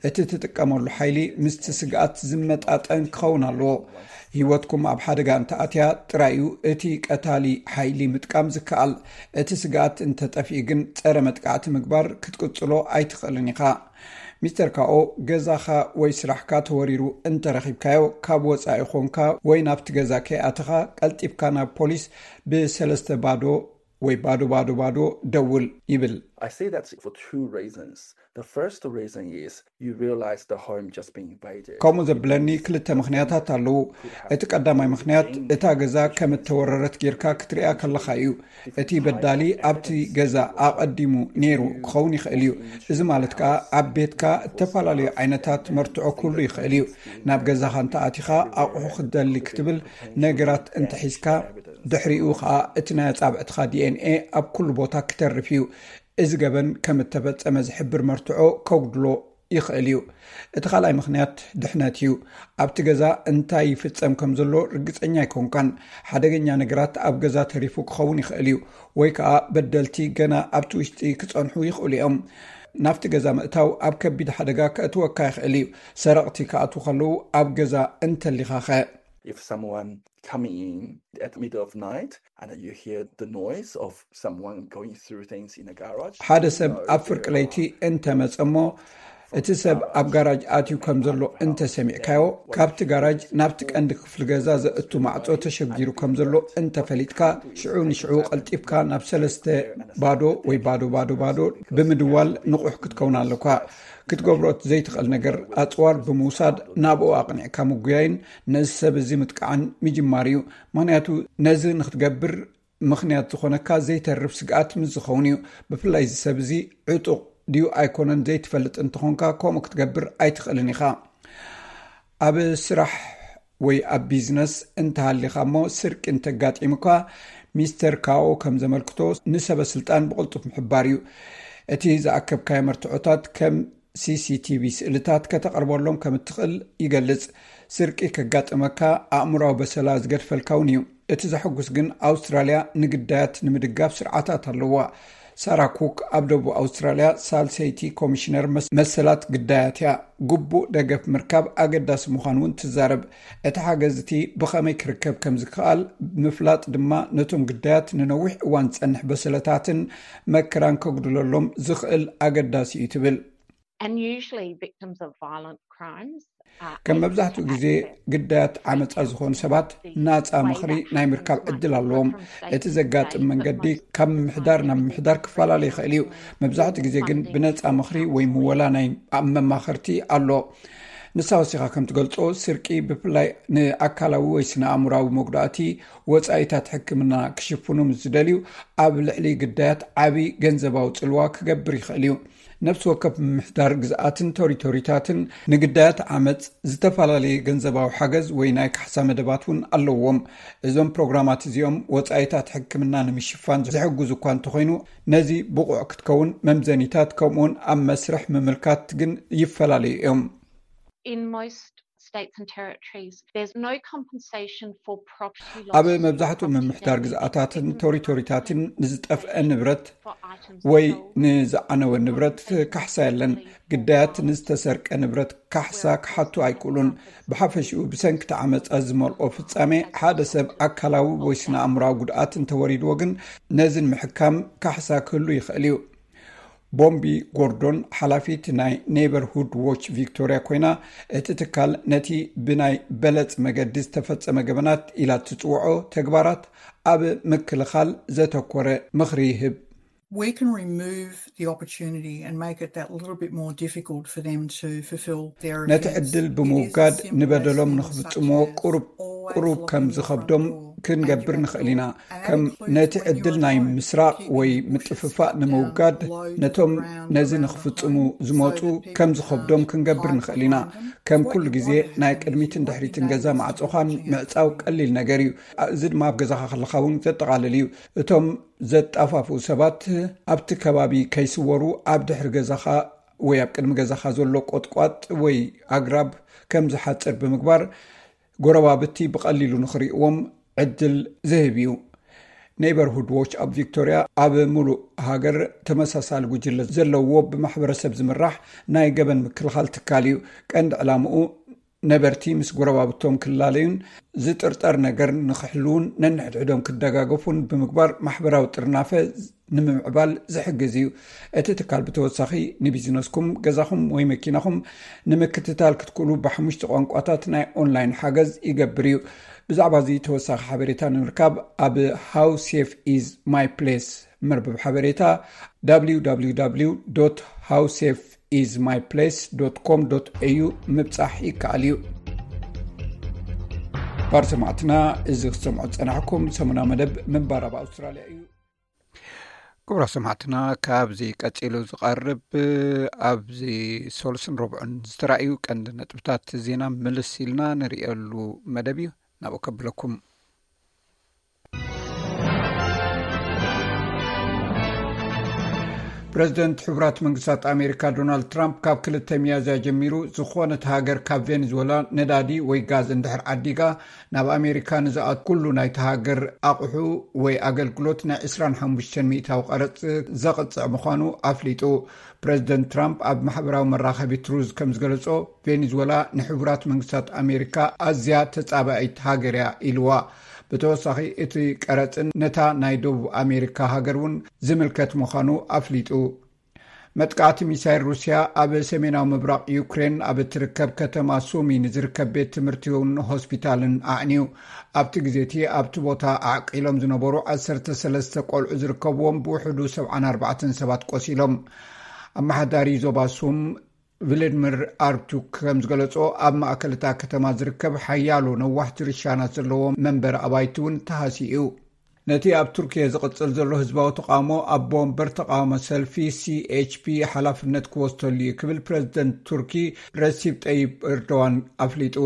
እቲ ትጥቀመሉ ሓይሊ ምስቲ ስግኣት ዝመጣጠን ክኸውን ኣለዎ። ህይወትኩም ኣብ ሓደጋ እንተኣትያ ጥራይ እዩ እቲ ቀታሊ ሓይሊ ምጥቃም ዝከኣል። እቲ ስግኣት እንተጠፊኡ ግን ጸረ መጥቃዕቲ ምግባር ክትቅጽሎ ኣይትኽእልን ኢኻ። ሚስተር ካኦ፣ ገዛኻ ወይ ስራሕካ ተወሪሩ እንተረኺብካዮ ካብ ወጻኢ ኾንካ ወይ ናብቲ ገዛ ከይኣተኻ ቀልጢፍካ ናብ ፖሊስ ብሰለስተ ባዶ ወይ ባዶ ባዶ ባዶ ደውል ይብል። I say that for two reasons. The first reason is you realize the home just been invaded. ከምኡ ዘብለኒ ክልተ ምኽንያታት ኣለዉ። እቲ ቀዳማይ ምኽንያት እታ ገዛ ከም እተወረረት ጌርካ ክትሪኣ ከለኻ እዩ። እቲ በዳሊ ኣብቲ ገዛ ኣቐዲሙ ነይሩ ክኸውን ይኽእል እዩ። እዚ ማለት ከኣ ኣብ ቤትካ እተፈላለዩ ዓይነታት መርትዖ ክህሉ ይኽእል እዩ። ናብ ገዛኻ እንተኣቲኻ ኣቑሑ ክትደሊ ክትብል ነገራት እንተሒዝካ ድሕሪኡ ኸኣ እቲ ናይ ኣጻብዕትኻ ዲኤንኤ ኣብ ኩሉ ቦታ ክተርፍ እዩ። እዚ ገበን ከም እተፈጸመ ዝሕብር መርትዖ ከጉድሎ ይኽእል እዩ። እቲ ካልኣይ ምኽንያት ድሕነት እዩ። ኣብቲ ገዛ እንታይ ይፍጸም ከም ዘሎ ርግጸኛ ኣይኮንካን። ሓደገኛ ነገራት ኣብ ገዛ ተሪፉ ክኸውን ይኽእል እዩ፣ ወይ ከኣ በደልቲ ገና ኣብቲ ውሽጢ ክጸንሑ ይኽእሉ እዮም። ናብቲ ገዛ ምእታው ኣብ ከቢድ ሓደጋ ከእትወካ ይኽእል እዩ። ሰረቕቲ ክኣትዉ ከለዉ ኣብ ገዛ እንተሊኻኸ? If someone coming in at the middle of night and you hear the noise of someone going through things in a garage, ሓደ ሰብ ኣብ ፍርቂ ለይቲ እንተመጸ እሞ እቲ ሰብ ኣብ ጋራጅ ኣትዩ ከም ዘሎ እንተሰሚዕካዮ፣ ካብቲ ጋራጅ ናብቲ ቀንዲ ክፍሊ ገዛ ዘእቱ ማዕጾ ተሸጊሩ ከም ዘሎ እንተፈሊጥካ፣ ሽዑ ንሽዑ ቀልጢፍካ ናብ ሰለስተ ባዶ ወይ ባዶ ባዶ ባዶ ብምድዋል ንቑሕ ክትከውን ኣለኳ። ክትገብሮ እቲ ዘይትኽእል ነገር፣ ኣጽዋር ብምውሳድ ናብኡ ኣቕኒዕካ ምጉያይን ነዚ ሰብ እዚ ምጥቃዕን ምጅማር እዩ። ምኽንያቱ ነዚ ንክትገብር ምኽንያት ዝኾነካ ዘይተርፍ ስግኣት ምስ ዝኸውን እዩ። ብፍላይ እዚ ሰብ እዚ ዕጡቕ ድዩ ኣይኮነን ዘይትፈልጥ እንተኾንካ፣ ከምኡ ክትገብር ኣይትኽእልን ኢኻ። ኣብ ስራሕ ወይ ኣብ ቢዝነስ እንተሃሊኻ እሞ ስርቂ እንተጋጢሙካ፣ ሚስተር ካኦ ከም ዘመልክቶ፣ ንሰበ ስልጣን ብቕልጡፍ ምሕባር እዩ። እቲ ዝኣከብካዮ መርትዖታት ከም ሲሲቲቪ ስእልታት ከተቕርበሎም ከም እትኽእል ይገልጽ። ስርቂ ከጋጥመካ ኣእምሮዊ በሰላ ዝገድፈልካ እውን እዩ። እቲ ዘሐጉስ ግን፣ ኣውስትራልያ ንግዳያት ንምድጋፍ ስርዓታት ኣለዋ። ሳራ ኩክ ኣብ ደቡብ ኣውስትራልያ ሳልሰይቲ ኮሚሽነር መስ-፣ መሰላት ግዳያት እያ። ግቡእ ደገፍ ምርካብ ኣገዳሲ ምዃኑ እውን ትዛረብ። እቲ ሓገዝ እቲ ብኸመይ ክርከብ ከም ዝከኣል ምፍላጥ ድማ፣ ነቶም ግዳያት ንነዊሕ እዋን ዝጸንሕ በሰለታትን መከራን ከጉድለሎም ዝኽእል ኣገዳሲ እዩ ትብል። And usually victims of violent crimes are ከም able መብዛሕትኡ to ግዜ access ግዳያት ዓመጻ ዝኾኑ ሰባት ናጻ ምኽሪ ናይ ምርካብ ዕድል ኣለዎም። እቲ ዘጋጥም መንገዲ ካብ ምምሕዳር ናብ ምምሕዳር ክፈላለ ይኽእል እዩ። መብዛሕትኡ ግዜ ግን ብነጻ ምኽሪ ወይ ምወላ ናይ ኣብ መማኸርቲ ኣሎ። ንሳ ወሲኻ ከም ትገልጾ፣ ስርቂ ብፍላይ ንኣካላዊ ወይ ስነ ኣእምራዊ መጉዳእቲ ወጻኢታት ሕክምና ክሽፍኑ ምስ ዝደልዩ፣ ኣብ ልዕሊ ግዳያት ዓቢ ገንዘባዊ ጽልዋ ክገብር ይኽእል እዩ። ነፍሲ ወከፍ ምምሕዳር ግዝኣትን ቶሪቶሪታትን ንግዳያት ዓመጽ ዝተፈላለየ ገንዘባዊ ሓገዝ ወይ ናይ ካሕሳ መደባት እውን ኣለዎም። እዞም ፕሮግራማት እዚኦም ወጻኢታት ሕክምና ንምሽፋን ዝሕግዙ እኳ እንተኾይኑ፣ ነዚ ብቑዕ ክትከውን መምዘኒታት ከምኡውን ኣብ መስርሕ ምምልካት ግን ይፈላለዩ እዮም። In most states and territories, there's no compensation for property loss ኣብ or መብዛሕትኡ property ምምሕዳር damage. ግዝኣታትን Victims ቶሪቶሪታትን can't ንዝጠፍአ compensation ንብረት for items ወይ stolen. ንዝዓነወ ንብረት ካሕሳ የለን። ግዳያት ንዝተሰርቀ ንብረት ካሕሳ ክሓቱ ኣይክእሉን። ብሓፈሽኡ፣ ብሰንኪ እቲ ዓመጻ ዝመልኦ ፍጻሜ ሓደ ሰብ ኣካላዊ ወይ ስነ ኣእምራዊ ጉድኣት እንተወሪድዎ ግን፣ ነዚ ንምሕካም ካሕሳ ክህሉ ይኽእል እዩ። ቦምቢ ጎርዶን፣ ሓላፊት ናይ ኔበርሁድ ዎች ቪክቶርያ ኮይና፣ እቲ ትካል ነቲ ብናይ በለጽ መገዲ ዝተፈጸመ ገበናት ኢላ እትጽውዖ ተግባራት ኣብ ምክልኻል ዘተኮረ ምኽሪ ይህብ። We can remove the opportunity and make it that little bit more difficult for them to fulfil their ነቲ offence. ዕድል It ብምውጋድ is as simple ንበደሎም as things ንኽፍጽምዎ such as ቁሩብ always ቁሩብ locking ከም your front ዝኸብዶም door and ክንገብር your back ንኽእል ኢና። door. And ከም that includes ነቲ when you ዕድል are ናይ alone, ምስራቕ keeping ወይ your bushes ምጥፍፋእ down ንምውጋድ low to the ነቶም ground ነዚ around the ንኽፍጽሙ home so ዝመጹ that people ከም can't ዝኸብዶም hide ክንገብር behind ንኽእል ኢና። them. ከም What ኩሉ you ግዜ want is ናይ for people to ቅድሚትን be ድሕሪትን ገዛ dangerous ማዕጾኻ people to ምዕጻው ቀሊል ነገር እዩ። እዚ ድማ ኣብ ገዛኻ ከለኻ እውን ዘጠቓልል እዩ። እቶም ዘጣፋፍኡ ሰባት ኣብ እቲ ከባቢ ከይስወሩ ኣብ ድሕሪ ገዛኻ ወይ ኣብ ቅድሚ ገዛኻ ዘሎ ቆጥቋጥ ወይ ኣግራብ ከም ዝሓጽር ብምግባር፣ ጎረባብቲ ብቐሊሉ ንኽርእይዎም ዕድል ዝህብ እዩ። ኔበርሁድ ዎች ኣብ ቪክቶርያ ኣብ ሙሉእ ሃገር ተመሳሳሊ ጉጅለ ዘለዎ ብማሕበረሰብ ዝምራሕ ናይ ገበን ምክልኻል ትካል እዩ። ቀንዲ ዕላምኡ ነበርቲ ምስ ጎረባብቶም ክላለዩን ዝጥርጠር ነገር ንኽሕልውን ነንሕድሕዶም ክደጋገፉን ብምግባር ማሕበራዊ ጥርናፈ ንምምዕባል ዝሕግዝ እዩ። እቲ ትካል ብተወሳኺ ንቢዝነስኩም፣ ገዛኹም ወይ መኪናኹም ንምክትታል ክትክእሉ ብሓሙሽተ ቋንቋታት ናይ ኦንላይን ሓገዝ ይገብር እዩ። ብዛዕባ እዚ ተወሳኺ ሓበሬታ ንምርካብ ኣብ How Safe Is My Place መርበብ ሓበሬታ www how safe is my place com au ምብጻሕ ይከኣል እዩ። ባር ሰማዕትና፣ እዚ ክትሰምዑ ዝጸናሕኩም ሰሙና መደብ ምንባር ኣብ ኣውስትራልያ እዩ። ክቡራት ሰማዕትና፣ ካብዚ ቀጺሉ ዝቐርብ ኣብዚ ሶልስን ረቡዕን ዝተራእዩ ቀንዲ ነጥብታት ዜና ምልስ ኢልና ንርእየሉ መደብ እዩ። ናብኡ ከብለኩም። ፕረዚደንት ሕቡራት መንግስታት ኣሜሪካ ዶናልድ ትራምፕ ካብ ክልተ ሚያዝያ ጀሚሩ ዝኾነት ሃገር ካብ ቬኔዙዌላ ነዳዲ ወይ ጋዝ እንድሕር ዓዲጋ ናብ ኣሜሪካ ንዝኣት ኩሉ ናይቲ ሃገር ኣቑሑ ወይ ኣገልግሎት ናይ ዕስራን ሓሙሽተን ሚእታዊ ቀረጽ ዘቕጽዕ ምዃኑ ኣፍሊጡ። ፕረዚደንት ትራምፕ ኣብ ማሕበራዊ መራኸቢ ትሩዝ ከም ዝገለጾ፣ ቬኔዙዌላ ንሕቡራት መንግስታት ኣሜሪካ ኣዝያ ተጻባኢት ሃገር እያ ኢልዋ። ብተወሳኺ እቲ ቀረጽን ነታ ናይ ደቡብ ኣሜሪካ ሃገር እውን ዝምልከት ምዃኑ ኣፍሊጡ። መጥቃዕቲ ሚሳይል ሩስያ ኣብ ሰሜናዊ ምብራቕ ዩክሬን ኣብ እትርከብ ከተማ ሱሚ ንዝርከብ ቤት ትምህርቲውን ሆስፒታልን ኣዕንዩ። ኣብቲ ግዜ እቲ ኣብቲ ቦታ ዓቂሎም ዝነበሩ ዓሰርተ ሰለስተ ቆልዑ ዝርከብዎም ብውሕዱ ሰብዓን ኣርባዕተን ሰባት ቆሲሎም። ኣመሓዳሪ ዞባ ሱም ቭላድሚር ኣርቱክ ከም ዝገለጾ፣ ኣብ ማእከል እታ ከተማ ዝርከብ ሓያሎ ነዋሕቲ ርሻናት ዘለዎ መንበሪ ኣባይቲ እውን ተሃስዩ እዩ። ነቲ ኣብ ቱርኪየ ዝቕጽል ዘሎ ህዝባዊ ተቃውሞ ኣቦ ወንበር ተቃውሞ ሰልፊ ሲ ኤች ፒ ሓላፍነት ክወስደሉ እዩ ክብል ፕረዚደንት ቱርኪ ረሲብ ጠይብ ኤርዶዋን ኣፍሊጡ።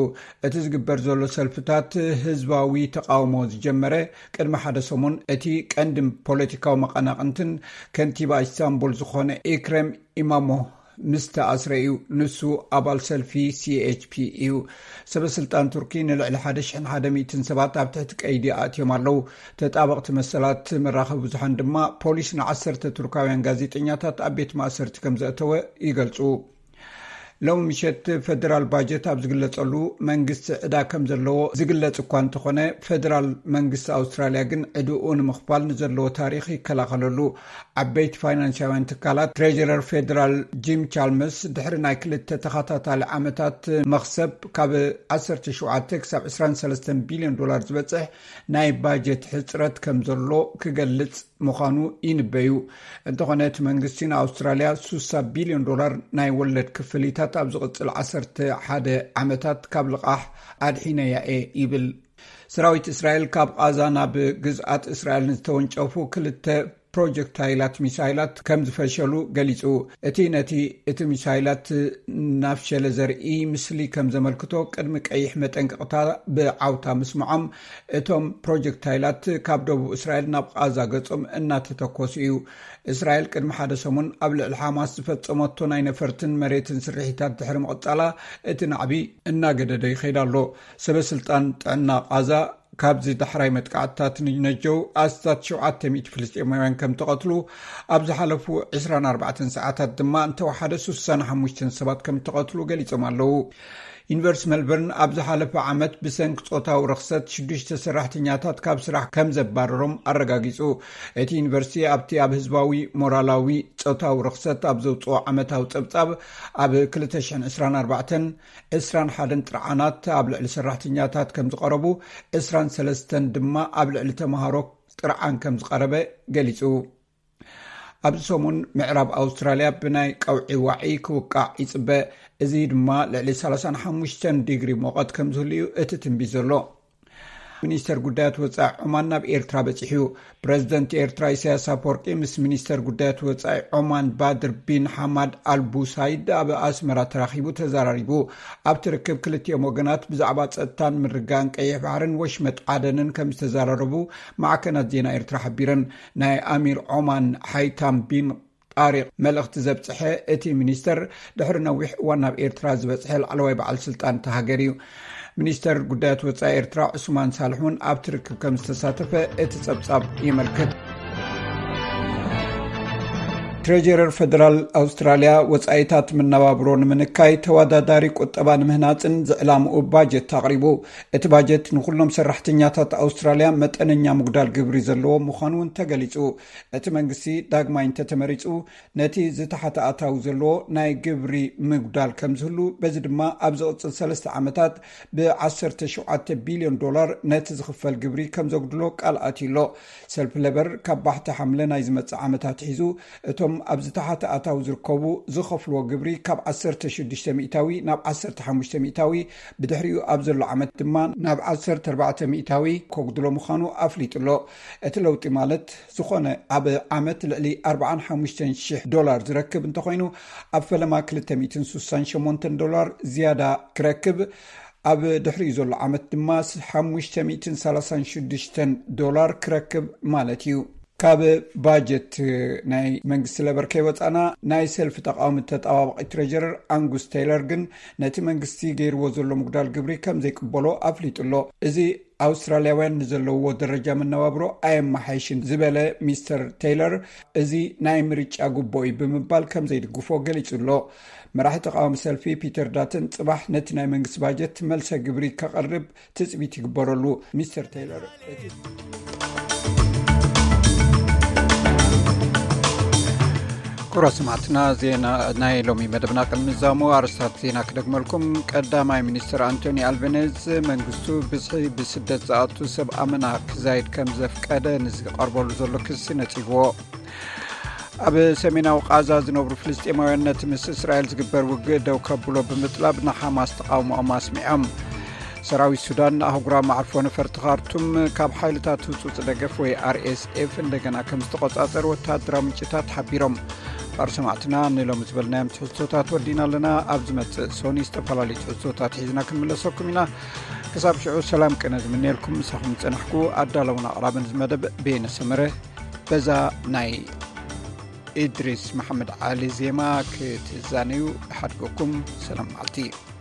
እቲ ዝግበር ዘሎ ሰልፍታት ህዝባዊ ተቃውሞ ዝጀመረ ቅድሚ ሓደ ሰሙን፣ እቲ ቀንዲ ፖለቲካዊ መቐናቕንትን ከንቲባ ኢስታንቡል ዝኾነ ኢክረም ኢማሞ ምስ ተኣስረ እዩ። ንሱ ኣባል ሰልፊ ሲ ኤች ፒ እዩ። ሰበ ስልጣን ቱርኪ ንልዕሊ ሓደ ሽሕን ሓደ ሚእትን ሰባት ኣብ ትሕቲ ቀይዲ ኣእትዮም ኣለዉ። ተጣበቕቲ መሰላት መራኸቢ ብዙሓን ድማ ፖሊስ ንዓሰርተ ቱርካውያን ጋዜጠኛታት ኣብ ቤት ማእሰርቲ ከም ዘእተወ ይገልጹ። ሎሚ ምሸት ፈደራል ባጀት ኣብ ዝግለጸሉ፣ መንግስቲ ዕዳ ከም ዘለዎ ዝግለጽ እኳ እንተኾነ፣ ፈደራል መንግስቲ ኣውስትራልያ ግን ዕድኡ ንምኽፋል ንዘለዎ ታሪኽ ይከላኸለሉ። ዓበይቲ ፋይናንሳውያን ትካላት፣ ትሬጀረር ፌደራል ጂም ቻልመርስ፣ ድሕሪ ናይ ክልተ ተኸታታሊ ዓመታት መኽሰብ፣ ካብ ዓሰርተ ሸውዓተ ክሳብ ዕስራን ሰለስተን ቢልዮን ዶላር ዝበጽሕ ናይ ባጀት ሕጽረት ከም ዘሎ ክገልጽ ምዃኑ ይንበዩ። እንተኾነ፣ እቲ መንግስቲ ንኣውስትራልያ ሱሳ ቢልዮን ዶላር ናይ ወለድ ክፍሊታት ኣብ ዝቕጽል ዓሰርተ ሓደ ዓመታት ካብ ልቓሕ ኣድሒነያ እየ ይብል። ሰራዊት እስራኤል ካብ ቓዛ ናብ ግዝኣት እስራኤል ንዝተወንጨፉ ክልተ ፕሮጀክታይላት ሚሳይላት ከም ዝፈሸሉ ገሊጹ። እቲ ነቲ እቲ ሚሳይላት ናፍሸለ ዘርኢ ምስሊ ከም ዘመልክቶ ቅድሚ ቀይሕ መጠንቀቕታ ብዓውታ ምስምዖም፣ እቶም ፕሮጀክታይላት ካብ ደቡብ እስራኤል ናብ ቓዛ ገጾም እናተተኮሱ እዩ። እስራኤል ቅድሚ ሓደ ሰሙን ኣብ ልዕሊ ሓማስ ዝፈጸመቶ ናይ ነፈርትን መሬትን ስርሒታት ድሕሪ ምቕጻላ፣ እቲ ናዕቢ እናገደደ ይኸይድ ኣሎ። ሰበ ስልጣን ጥዕና ቓዛ፣ ካብዚ ዳሕራይ መጥቃዕትታት ንነጀው ኣስታት ሸውዓተ ሚእቲ ፍልስጤማውያን ከም ተቐትሉ፣ ኣብ ዝሓለፉ ዕስራን ኣርባዕተን ሰዓታት ድማ እንተወሓደ ሱሳን ሓሙሽተን ሰባት ከም ተቐትሉ ገሊጾም ኣለዉ። ዩኒቨርሲቲ ሜልበርን ኣብ ዝሓለፈ ዓመት ብሰንኪ ጾታዊ ርኽሰት ሽዱሽተ ሰራሕተኛታት ካብ ስራሕ ከም ዘባረሮም ኣረጋጊጹ። እቲ ዩኒቨርሲቲ ኣብቲ ኣብ ህዝባዊ ሞራላዊ ጾታዊ ርኽሰት ኣብ ዘውጽኦ ዓመታዊ ጸብጻብ፣ ኣብ ክልተ ሽሕን ዕስራን ኣርባዕተን ዕስራን ሓደን ጥርዓናት ኣብ ልዕሊ ሰራሕተኛታት ከም ዝቐረቡ፣ ዕስራን ሰለስተን ድማ ኣብ ልዕሊ ተምሃሮ ጥርዓን ከም ዝቐረበ ገሊጹ። ኣብዚ ሰሙን ምዕራብ ኣውስትራልያ ብናይ ቀውዒ ዋዒ ክውቃዕ ይጽበ። እዚ ድማ ልዕሊ ሰላሳን ሓሙሽተን ዲግሪ ሙቐት ከም ዝህሉ እዩ እቲ ትንቢት ዘሎ። ሚኒስተር ጉዳያት ወጻኢ ዖማን ናብ ኤርትራ በጺሑ እዩ። ፕረዚደንት ኤርትራ ኢሳያስ ኣፈወርቂ ምስ ሚኒስተር ጉዳያት ወጻኢ ዖማን ባድር ቢን ሓማድ ኣልቡሳይድ ኣብ ኣስመራ ተራኺቡ ተዘራሪቡ። ኣብቲ ርክብ ክልቲኦም ወገናት ብዛዕባ ጸጥታን ምርጋን ቀይሕ ባሕርን ወሽመጥ ዓደንን ከም ዝተዘራረቡ ማዕከናት ዜና ኤርትራ ሓቢረን። ናይ ኣሚር ዖማን ሓይታም ቢን ጣሪቕ መልእኽቲ ዘብጽሐ እቲ ሚኒስተር፣ ድሕሪ ነዊሕ እዋን ናብ ኤርትራ ዝበጽሐ ላዕለዋይ በዓል ስልጣን እታ ሃገር እዩ። ሚኒስተር ጉዳያት ወጻኢ ኤርትራ ዑስማን ሳልሕ እውን ኣብቲ ርክብ ከም ዝተሳተፈ እቲ ጸብጻብ የመልክት። ትሬጀረር ፈደራል ኣውስትራልያ፣ ወጻኢታት መነባብሮ ንምንካይ፣ ተወዳዳሪ ቁጠባ ንምህናጽን ዝዕላምኡ ባጀት ኣቕሪቡ። እቲ ባጀት ንኹሎም ሰራሕተኛታት ኣውስትራልያ መጠነኛ ምጉዳል ግብሪ ዘለዎ ምዃኑ እውን ተገሊጹ። እቲ መንግስቲ ዳግማይ እንተተመሪጹ፣ ነቲ ዝተሓተ ኣታዊ ዘለዎ ናይ ግብሪ ምጉዳል ከም ዝህሉ፣ በዚ ድማ ኣብ ዝቕጽል ሰለስተ ዓመታት ብዓሰርተ ሸውዓተ ቢልዮን ዶላር ነቲ ዝኽፈል ግብሪ ከም ዘጉድሎ ቃል ኣትዩ ኣሎ። ሰልፊ ሌበር ካብ ባሕቲ ሓምለ ናይ ዝመጽእ ዓመት ኣትሒዙ፣ እቶም ኣብ ዝተሓተ ኣታዊ ዝርከቡ ዝኸፍልዎ ግብሪ ካብ ዓሰርተ ሽዱሽተ ሚእታዊ ናብ ዓሰርተ ሓሙሽተ ሚእታዊ፣ ብድሕሪኡ ኣብ ዘሎ ዓመት ድማ ናብ ዓሰርተ ኣርባዕተ ሚእታዊ ከጉድሎ ምዃኑ ኣፍሊጡ ኣሎ። እቲ ለውጢ ማለት፣ ዝኾነ ኣብ ዓመት ልዕሊ ኣርባዓን ሓሙሽተን ሽሕ ዶላር ዝረክብ እንተኾይኑ፣ ኣብ ፈለማ ክልተ ሚእትን ስሳን ሸሞንተን ዶላር ዝያዳ ክረክብ፣ ኣብ ድሕሪኡ ዘሎ ዓመት ድማ ሓሙሽተ ሚእትን ሰላሳን ሽዱሽተን ዶላር ክረክብ ማለት እዩ። ካብ ባጀት ናይ መንግስቲ ለበር ከይወፃና፣ ናይ ሰልፊ ተቃዋሚ ተጣባባቂ ትሬጀረር ኣንጉስ ቴይለር ግን ነቲ መንግስቲ ገይርዎ ዘሎ ምጉዳል ግብሪ ከም ዘይቅበሎ ኣፍሊጡ ኣሎ። እዚ ኣውስትራልያውያን ንዘለውዎ ደረጃ መነባብሮ ኣየመሓይሽን ዝበለ ሚስተር ቴይለር፣ እዚ ናይ ምርጫ ጉቦ እዩ ብምባል ከም ዘይድግፎ ገሊጹ ኣሎ። መራሒ ተቃዋሚ ሰልፊ ፒተር ዳትን ጽባሕ ነቲ ናይ መንግስቲ ባጀት መልሰ ግብሪ ከቐርብ ትጽቢት ይግበረሉ። ሚስተር ቴይለር እቲ ኩብራት ሰማዕትና፣ ዜና ናይ ሎሚ መደብና ቅድሚ ምዛሙ ኣርስታት ዜና ክደግመልኩም። ቀዳማይ ሚኒስትር ኣንቶኒ ኣልበኔዝ መንግስቱ ብዝሒ ብስደት ዝኣቱ ሰብ ኣመና ክዛይድ ከም ዘፍቀደ ንዝቐርበሉ ዘሎ ክሲ ነጺግዎ። ኣብ ሰሜናዊ ቃዛ ዝነብሩ ፍልስጤማውያን ነቲ ምስ እስራኤል ዝግበር ውግእ ደው ከብሎ ብምጥላብ ንሓማስ ተቓውሞኦም ኣስሚዖም። ሰራዊት ሱዳን ኣህጉራዊ መዓርፎ ነፈርቲ ካርቱም ካብ ሓይልታት ህጹጽ ደገፍ ወይ ኣርኤስኤፍ እንደገና ከም ዝተቆጻጸር ወተሃደራዊ ምንጭታት ሓቢሮም። ባር ሰማዕትና ንሎሚ ዝበልናዮም ትሕዝቶታት ወዲና ኣለና። ኣብ ዝመጽእ ሶኒ ዝተፈላለዩ ትሕዝቶታት ሒዝና ክንምለሰኩም ኢና። ክሳብ ሽዑ ሰላም ቅነ ዝምንየልኩም ምሳኹም ዝጸናሕኩ ኣዳለውን ኣቕራብን ዝመደብ ቤነ ሰመረ። በዛ ናይ ኢድሪስ መሓመድ ዓሊ ዜማ ክትዛነዩ ሓድገኩም። ሰላም መዓልቲ።